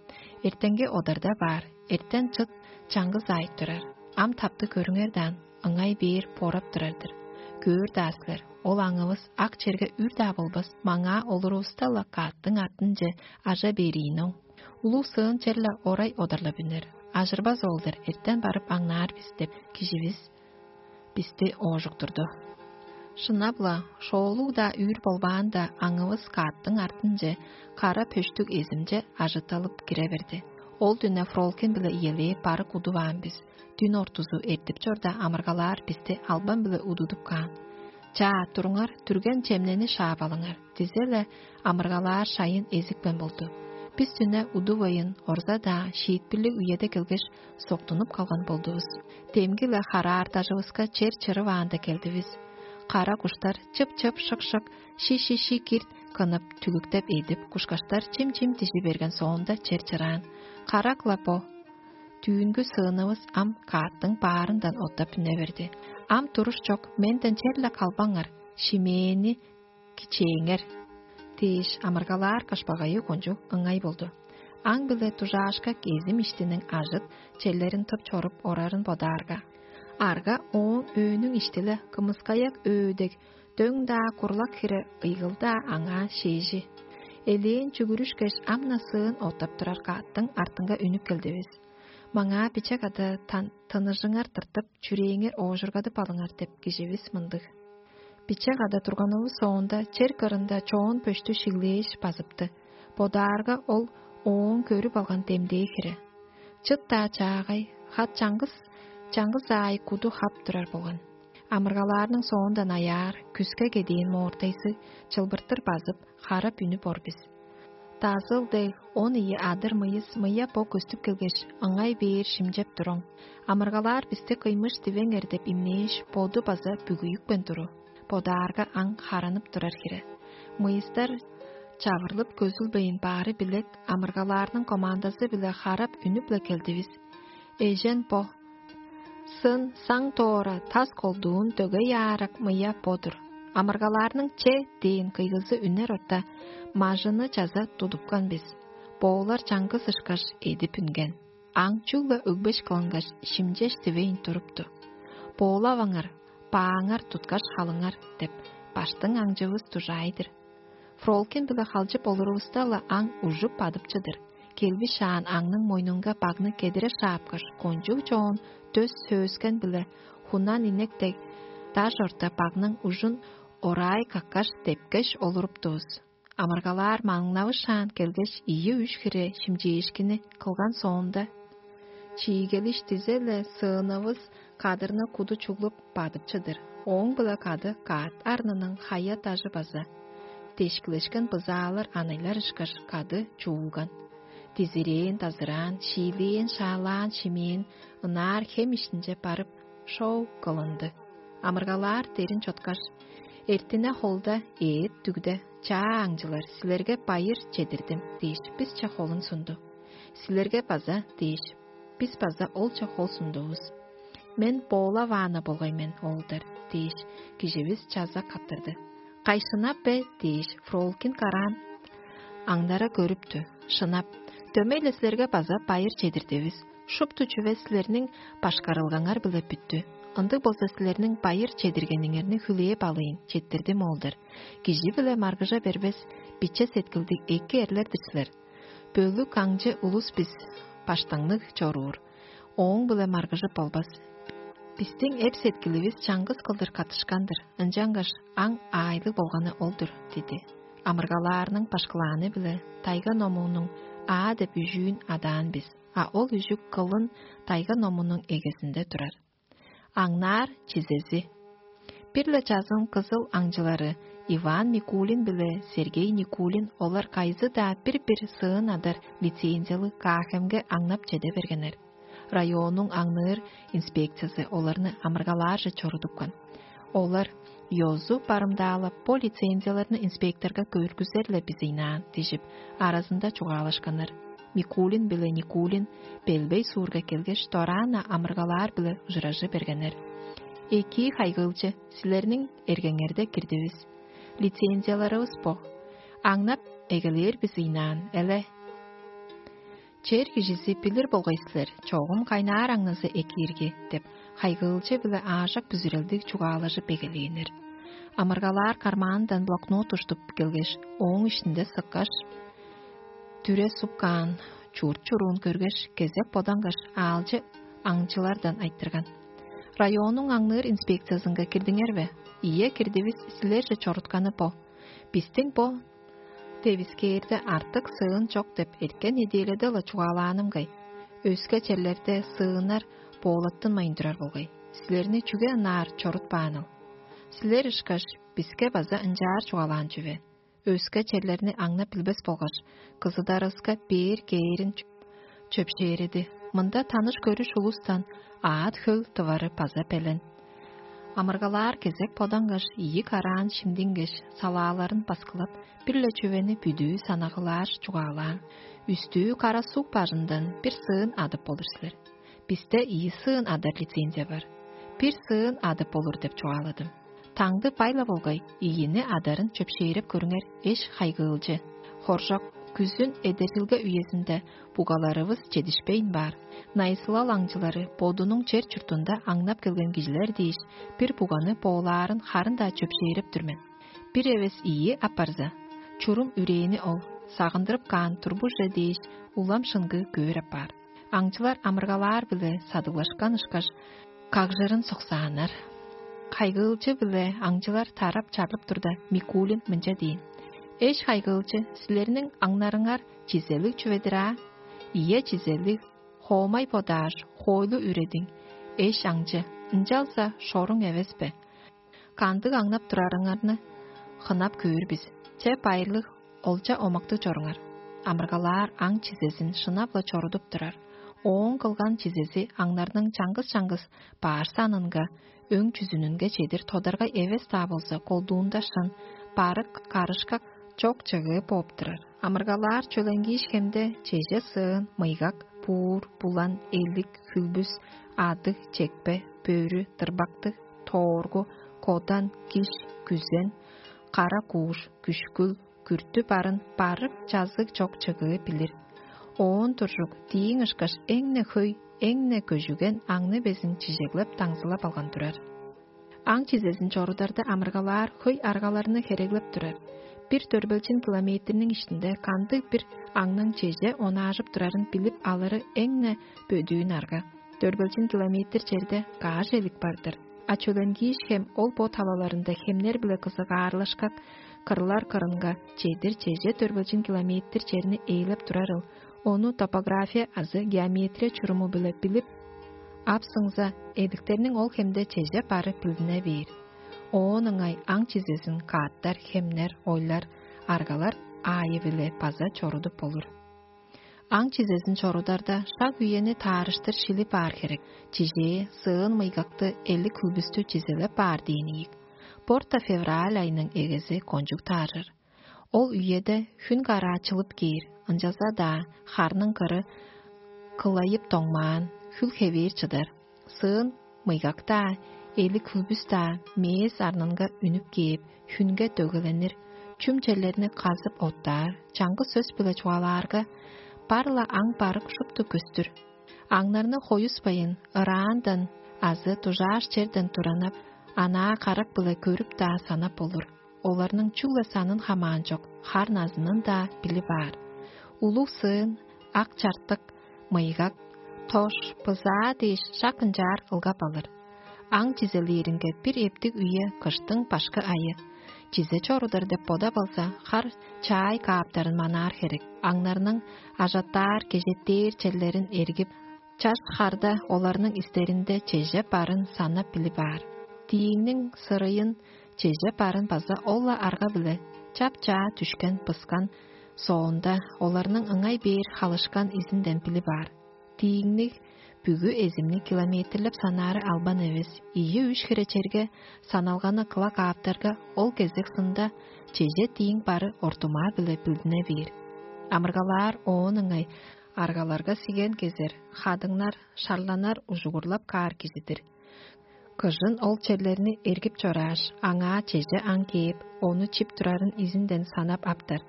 Эртенги одарда баар, эртен чыт чаңгыс аайт турар. Ам тапты көрүңер даан, ыңай бээр борап турар-дыр. Көөр-даа силер, ол аңывыс ак черге үр-даа болбас, маңаа олурувуста-ла каъттың артынче ажа бериин оң. Улуг сыын черле орай одарлап үнер. Ажырбас ол-дур, эртен барып аңнаар бис» — деп, киживис бисти оожуктурду. Шынап-ла, шоолуг-даа үүр болбаанда, аңывыс каъттың артынче кара пөштүг эзимче ажытталып кире берди. Ол дүне Фролкин-биле иелээп барык удуваан бис. Дүн ортузу эртип чорда, амыргалаар бисти албан-биле удудуп каан. «Чаа, туруңар, дүрген чемнени шаап алыңар» — дизе-ле, амыргалаар шайын эзипкен болду. Бис дүне удувайн, орза-даа шиитпирлиг үеде келгеш, соктунуп калган болдувус. Демги-ле хараартажывыска чер чырываанда келдивис. Кара куштар чып-чып, шык-шык, ши-ши-ши кирт кынып, түлүктеп эдип, кушкаштар чим-чим дижи берген соонда, чер чыраан. Карак-ла бо. Дүүнгү сыынывыс ам каъттың баарындан оттап үне берди. «Ам туруш чок, менден черле калбаңар, шимээни кичээңер» — дээш, амыргалаар кашпагайы кончуг ыңай болду. Аң-биле дужаашка кезим иштиниң ажыт черлерин тып чоруп орарын бодаарга, арга ооң өөнүң ишти-ле кымыскаяк өө дег, дөң-даа курлак хире ыйгыл-даа аңаа шээжи. Элээн чүгүрүшкеш, ам-на сыын оттап турар каъттың артынга үнүп келдивис. «Маңаа биче када тан-, тыныжыңар тыртып, чүрээңер оожургадып алыңар» — деп, киживис мындыг. Биче када турганывыс соонда, чер кырында чоон пөштү шиглээш базыпты. Бодаарга, ол ооң көрүп алган демдээ хире. Чыт-даа чаагай, хат чаңгыс, чаңгыс аай куду хап турар болган. Амыргалаарның соондан аяар, күске кедиин моортайзы чылбыртыр базып, харап үнүп ор бис. Дазыл дег он ийи адыр мыйыс мыя бо көстүп келгеш, ыңай бээр шимчеп туруң. Амыргалаар бисти кыймыш дивеңер деп имнээш, боду база бүгүйүкпен туру. Бодаарга, аң харанып турар хире. Мыйыстар чавырлып көзүлбейн баары билек, амыргалаарның командазы-биле харап үнүп-ле келдивис. Эжен бо. Сын, саң тоора, тас колдуун, дөгей аарак мыя бо-дур. Амыргалаарның «че» дээн кыйгызы үнер орта, мажыны чаза тудупкан бис. Боолар чаңгыс ышкаш эдип үнген. Аң чүгле өгбеш кылынгаш, шимчеш дивейн турупту. «Боолаваңар, бааңар туткаш халыңар» — деп, баштың аңчывыс дужаай-дыр. Фролкин-биле халчып олурувуста-ла, аң ужуп бадып чыдыр. Келбиш шаан аңның мойнунга багны кедире шаапкаш, кончуг чоон дөс сөөскен-биле хунан инек дег даш орта багның ужун орай каккаш, депкеш олуруптувус. Амыргалаар маңнавышаан келгеш, ийи-үш хире шимчээшкини кылган соонда, чиигелиштизе-ле сыынывыс Кадырны куду чуглуп, бадып чыдыр. Ооң-биле кады каът арнының хая-дажы база дешкилешкен бызаалар анайлар ышкаш кады чуулган. Дизирээн-дазыраан, шиилээн-шаалаан шимээн ынаар хем иштинче барып, шоу кылынды. Амыргалаар дерин чоткаш: «Эртине холда, ээт дүгде, чаа аңчылар, силерге байыр чедирдим» дээш, бисче холун сунду. «Силерге база» дээш, бис база олче хол сундувус. «Мен Бола Ваана болгай мен, оолдар» дээш, киживис чаза каттырды. «Кай, шынап бе?» дээш, Фролкин караан аңнара көрүптү. «Шынап, дөмей-ле силерге база байыр чедирдивис. Шупту чүве силерниң башкарылгаңар-биле бүттү. Ындыг болза, силерниң байыр чедиргениңерни хүлээп алыйн, четтирдим, оолдар. Кижи-биле маргыжа бербес, биче сеткилдиг эки эрлер-дир силер. Бөлүк аңчы улус бис, баштаңныг чоруур, ооң-биле маргыжып болбас. Бистиң эп-сеткиливис чаңгыс кылдыр каттышкан-дыр, ынчангаш аң аайлыг болганы ол-дур» диди. Амыргалаарның башкылааны-биле тайга номуунуң «Аа» деп үжүүн адаан бис, а ол үжүк кылын тайга номунуң эгезинде турар. Аңнаар чизези. Бир-ле чазын кызыл аңчылары Иван Микулин биле Сергей Никулин олар кайзы-даа бир-бир сыын адар лицензиялыг Каахемге аңнап чеде бергеннер. Районнуң аңныыр инспекциясы оларны амыргалаарже чорудупкан. Олар: «Ёзу барымдаалап, бо лицензияларны инспекторга көргүзер-ле бис ыйнаан» дижип, аразында чугаалашканнар. Микулин биле Никулин Белбей суурга келгеш, дораан-на амыргалаар-биле ужуражы бергеннер. «Экии, хайгыылчы, силерниң эргеңерде кирдивис. Лицензияларывыс бо. Аңнап эгелээр бис ыйнаан, эле. Чер кижизи билир болгай силер, чогум кайнаар аңназы экиирги» — деп, хайгыылчы биле аажок бүзүрелдиг чугаалажып эгелээннер. Амыргалаар кармаанындан блокнот уштуп келгеш, ооң иштинде сыккаш, дүре суп каан чурт-чуруун көргеш, кезек бодангаш, аалчы аңчылардан айтырган: «Районнуң аңныыр инспекциязынга кирдиңер бе?» «Ийе, кирдивис, силерже чорутканы бо». «Бистиң бо девискээрде артык сыын чок деп эрткен неделяда-ла чугаалааным кай. Өске черлерде сыыннар боолаттынмайн турар болгай. Силерни чүге ынаар чорутпааныл? Силер ышкаш, биске база ынчаар чугаалаан чүве. Өске черлерни аңнап билбес болгаш, кызыдарывыска бээр кээрин чөпшээреди. Мында таныш-көрүш улустан аът-хөл тывары база белен». Амыргалаар кезек бодангаш, ийи караан шимдингеш, салааларын баскылап, бир-ле чүвени бүдүү санагылаар чугаалаан: «Үстүү Кара-Суг бажындан бир сыын адып болур силер. Бисте ийи сыын адар лицензия бар. Бир сыын адып болур деп чугааладым. Таңды бай-ла болгай, ийини адарын чөпшээреп көрүңер, эш-хайгыылчы. Хоржок, күзүн эдержилге үезинде бугаларывыс чедишпейн баар. Найысылал аңчылары бодунуң чер-чуртунда аңнап келген кижилер дээш, бир буганы боолаарын харын-даа чөпшээреп тур мен. Бир эвес ийи апарза, чурум үрээни ол, сагындырып каан турбуже дээш, улам шыңгыы көөр апаар». Аңчылар амыргалаар-биле садыглашкан ышкаш, кагжырын суксааннар. Хайгыылчы-биле аңчылар тарап чарлып турда, Микулин мынча дээн: «Эш-хайгыылчы, силерниң аңнарыңар чизелиг чүве-дир аа?» «Ийе, чизелиг, хоомай бодааш, хоойлу үредиң, эш аңчы, ынчалза шоруң эвес бе? Кандыг аңнап турарыңарны хынап көөр бис. Че, байырлыг, олча-омактыг чоруңар». Амыргалаар аң чизезин шынап-ла чорудуп турар. Ооң кылган чизези аңнарның чаңгыс-чаңгыс баш санынга, өң чүзүнүнге чедир тодаргай эвес-даа болза, колдуунда шын, барык, карышкак, чок-чыгыы бооп турар. Амыргалаар чөленгииш хемде чеже сыын, мыйгак, буур, булан, элик, хүлбүс, адыг, чекпе, бөрү, дырбактыг, тооргу, кодан, киш, күзен, кара кууш, күшкүл, күртү барын барык чазыг чок-чыгыы билир. Оон туржук, дииң ышкаш эң-не хөй, эң-не көжүген аңны безин чижеглеп, даңзылап алган турар. Аң чизезин чорударда амыргалаар хөй аргаларны хереглеп турар. Бир дөрбелчин километрниң иштинде кандыг-бир аңның чеже онаажып турарын билип алыры эң-не бөдүүн арга. Дөрбелчин километр черде каш элик бар-дыр. А чөленгииш хем ол бо талаларында хемнер-биле кызыгаарлашкак, кырлар кырынга чедир чеже дөрбелчин километр черни ээлеп турарыл. Ону топография азы геометрия чуруму-биле билип Ап сыңза, эдиктерниң ол хемде чеже бары билдине бээр. Оон ыңай аң чизезин кааттар, хемнер, ойлар, аргалар аайы-биле база чорудуп болур. Аң чизезин чорударда шак үени таарыштыр шилип аар херек. Чижээ, сыын мыйгакты, элик хүлбүстү чизелеп баар дээн ийик. Порта февраль айының эгези кончуг тааржыр. Ол үеде хүн караачылып кээр, ынчалза-даа харның кыры кылайып доңмаан, хүл хевээр чыдар. Сыын мыйгак-даа, эли-хүлбүс-даа мээс арнынга үнүп кээп, хүнге дөгеленир, чүм черлерни казып оттаар, чаңгыс сөс-биле чугаалаарга, бар-ла аң барык шупту көстүр. Аңнарны хоюспайн, ыраандан азы дужааш черден туранап, анаа карак-биле көрүп-даа санап болур. Оларның чүгле санын хамаан чок, хар назынын-даа билип аар. Улуг сыын, ак чартык, мыйгак, тош, бызаа дээш шак ынчаар ылгап алыр. Аң чизелээринге бир эптиг үе кыштың башкы айы. Чизе чорудар деп бодап алза, хар чаай кааптарын манаар херек. Аңнарның ажаттаар, кежеттээр черлерин эргип, чаш харда оларның истеринде чеже барын санап билип аар. Дииңниң сырыйын чеже барын база ол-ла арга-биле чап-чаа дүшкен, пыскан соонда, оларның ыңай бээр халышкан изинден билип аар. Дииңниг бүгү эзимни километрлеп санаары албан эвес, ийи-үш хире черге саналганы кыла кааптарга, ол кезек сында чеже дииң бары ортумаа-биле билдине бээр. Амыргалаар оон ыңай аргаларга сиген кезер, хадыңнар, шарланар ужугурлап каар кижи-дир. Кыжын ол черлерни эргип чорааш, аңаа чеже аң кээп, ону чип турарын изинден санап аптар.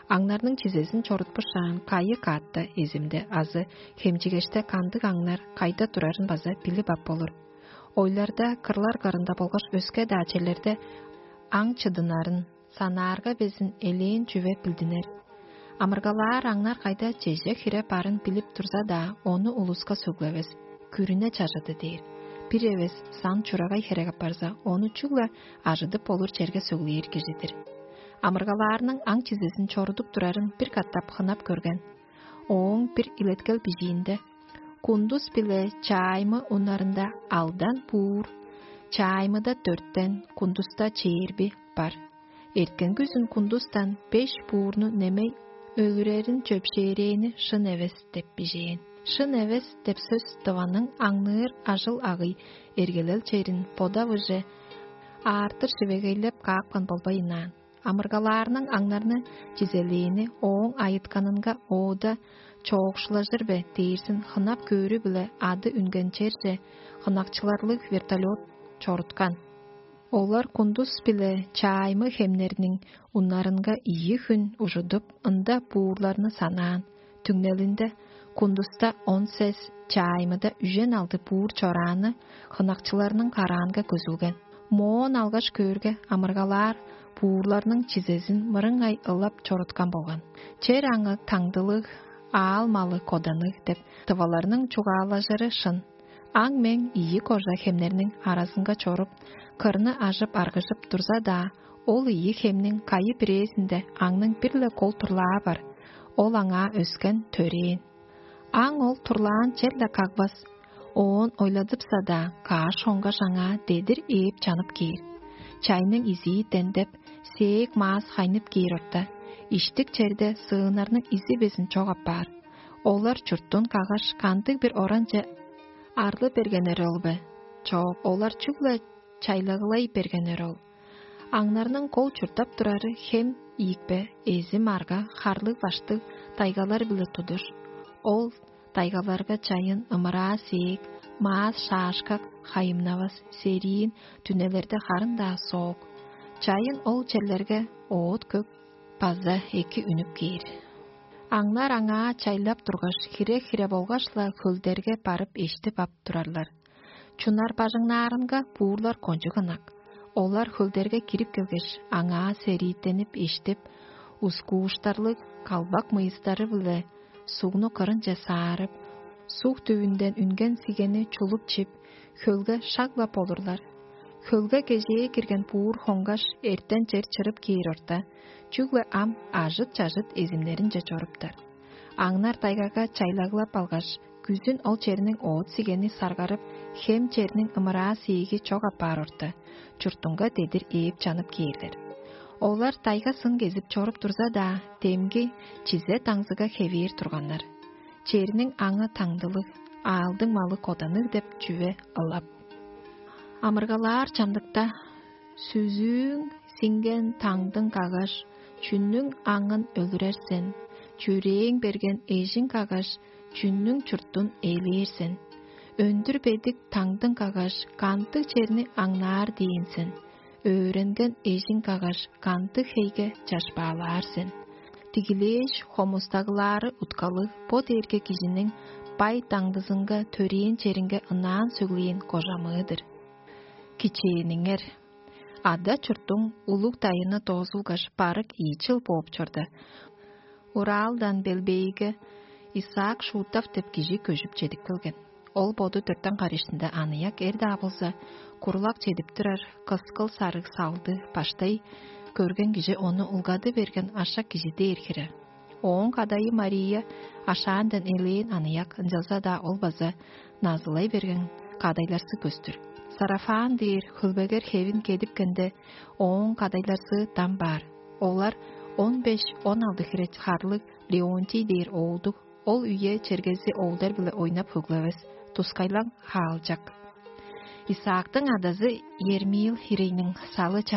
Аңнарның чизезин чорутпушаан, кайы каатта, эзимде азы хемчигеште кандыг аңнар кайда турарын база билип ап болур. Ойларда, кырлар кырында болгаш өске-даа черлерде аң чыдынарын санаарга безин элээн чүве билдинер. Амыргалаар аңнар кайда чеже хире барын билип турза-даа, ону улуска сөглевес, күрүне чажыды дээр. Бир эвес сан чурагай херек апарза, ону чүгле ажыдып болур черге сөглээр кижи-дир. Амыргалаарның аң чизезин чорудуп турарын бир катап хынап көрген. Ооң бир илеткел бижиинде: «Кундус биле чааймы уннарында алдан буур, чааймыда дөрттен, кундуста чээрби бар. Эрткен күзүн кундустан беш буурну немей өлүрерин чөпшээрээни шын эвес» — деп бижээн. «Шын эвес» деп сөс дываның аңныыр ажыл-агый, эргелел черин бодавыже аартыр шивегейлеп каапкан болбайн аан. Амыргалаарның аңнарны чизелээни ооң айытканынга оода чоокшулажыр бе дээрзин хынап көөрү-биле ады үнген черже хынакчыларлыг вертолёт чоруткан. Олар кундус биле чааймы хемнерниң уннарынга ийи хүн ужудуп, ында буурларны санаан. Түңнелинде кундуста он сес, чааймыда үжен алды буур чорааны хынакчыларның караанга көзүлген. Моон алгаш көөрге, амыргалаар буурларның чизезин мырыңай ылап чоруткан болган. Чер аңы таңдылыг, аал малы коданыг деп тываларның чугаалажыры шын. Аң-мең ийи кожа хемнерниң аразынга чоруп, кырны ажып-аргыжып турза-даа, ол ийи хемниң кайы бирээзинде аңның бир-ле кол турлаа бар. Ол аңаа өскен, төрээн. Аң ол турлаан черле кагбас. Оон ойладыпса-даа, каш хонгаш аңаа дедир ээп чанып кээр. Чайның изии дендеп, сээк маас хайнып кээр орта, иштик черде сыыннарның изи безин чок апаар. Олар чурттун каггаш, кандыг-бир оранче арлы бергеннер ол бе? Чок, олар чүгле чайлагылай бергеннер ол. Аңнарның кол чурттап турары хем ийикпе, эзи-марга, харлыг-баштыг тайгалар-биле тудуш. Ол тайгаларга чайын ымыраа сээк, маас шаашкак, хайымнавас, сериин, дүнелерде харын-даа соок. Чайын ол черлерге оът-көк база эки үнүп кээр. Аңнар аңаа чайлап тургаш, хире-хире болгаш-ла хөлдерге барып эштип ап турарлар. Чунар бажыңнаарынга буурлар кончуг ынак. Олар хөлдерге кирип келгеш, аңаа серииттенип эштип, ускууштарлыг калбак мыйыстары-биле сугну кырынче саарып, суг дүвүнден үнген сигени чулуп чип, хөлге шак-ла болурлар. Хөлге кежээ кирген буур хонгаш, эртен чер чырып кээр орта, чүгле ам ажыт-чажыт эзимнеринче чоруптар. Аңнар тайгага чайлаглап алгаш, Күзүн ол черниң оът сигени саргарып, хем черниң ымыраа сээги чок апаар орта, чуртунга дедир ээп чанып кээрлер. Олар дайга сын кезип чоруп турза-даа, демги чизе даңзыга хевээр турганнар. Черниң аңы таңдылыг, аалдың малы коданныг деп чүве ылап. Амыргалаар чамдыкта сүзүүң сиңген таңдың каггаш, чүннүң аңын өлүрер сен, чүрээң берген эжиң каггаш, чүннүң чуртун ээлээр сен. Өндүр бедик таңдың каггаш, кантыг черни аңнаар дээн сен, өөренген эжиң каггаш, кантыг хейге чашпаалаар сен. Дигилээш, хомустагылаары уткалыг бо дээрге кижиниң бай даңдызынга төрээн черинге ынаан сөглээн кожамыы-дыр. Кичээниңер, ада чуртуң улуг дайыны доозулгаш, барык ийи чыл бооп чорда, Уралдан Белбейге Исаак Шутов деп кижи көжүп чедип келген. Ол боду дөртен карыштында аныяк эр-даа болза, курлак чедип турар, кыскыл сарыг салды баштай көрген кижи ону улгады берген ашак кижи дээр хире. Ооң кадайы Мария ашаандан элээн аныяк, ынчалза-даа ол база назылай берген кадайларсы көстүр. Сарафан дээр хөлбегер хевин кедипкенде, ооң кадайларсы дам баар. Олар он беш-он алды хире харлыг Леонтий дээр оолдуг, ол үе чергези оолдар-биле ойнап хөглевес, тускайлаң хаалчак. Исаактың адазы Ермил хирейниң салы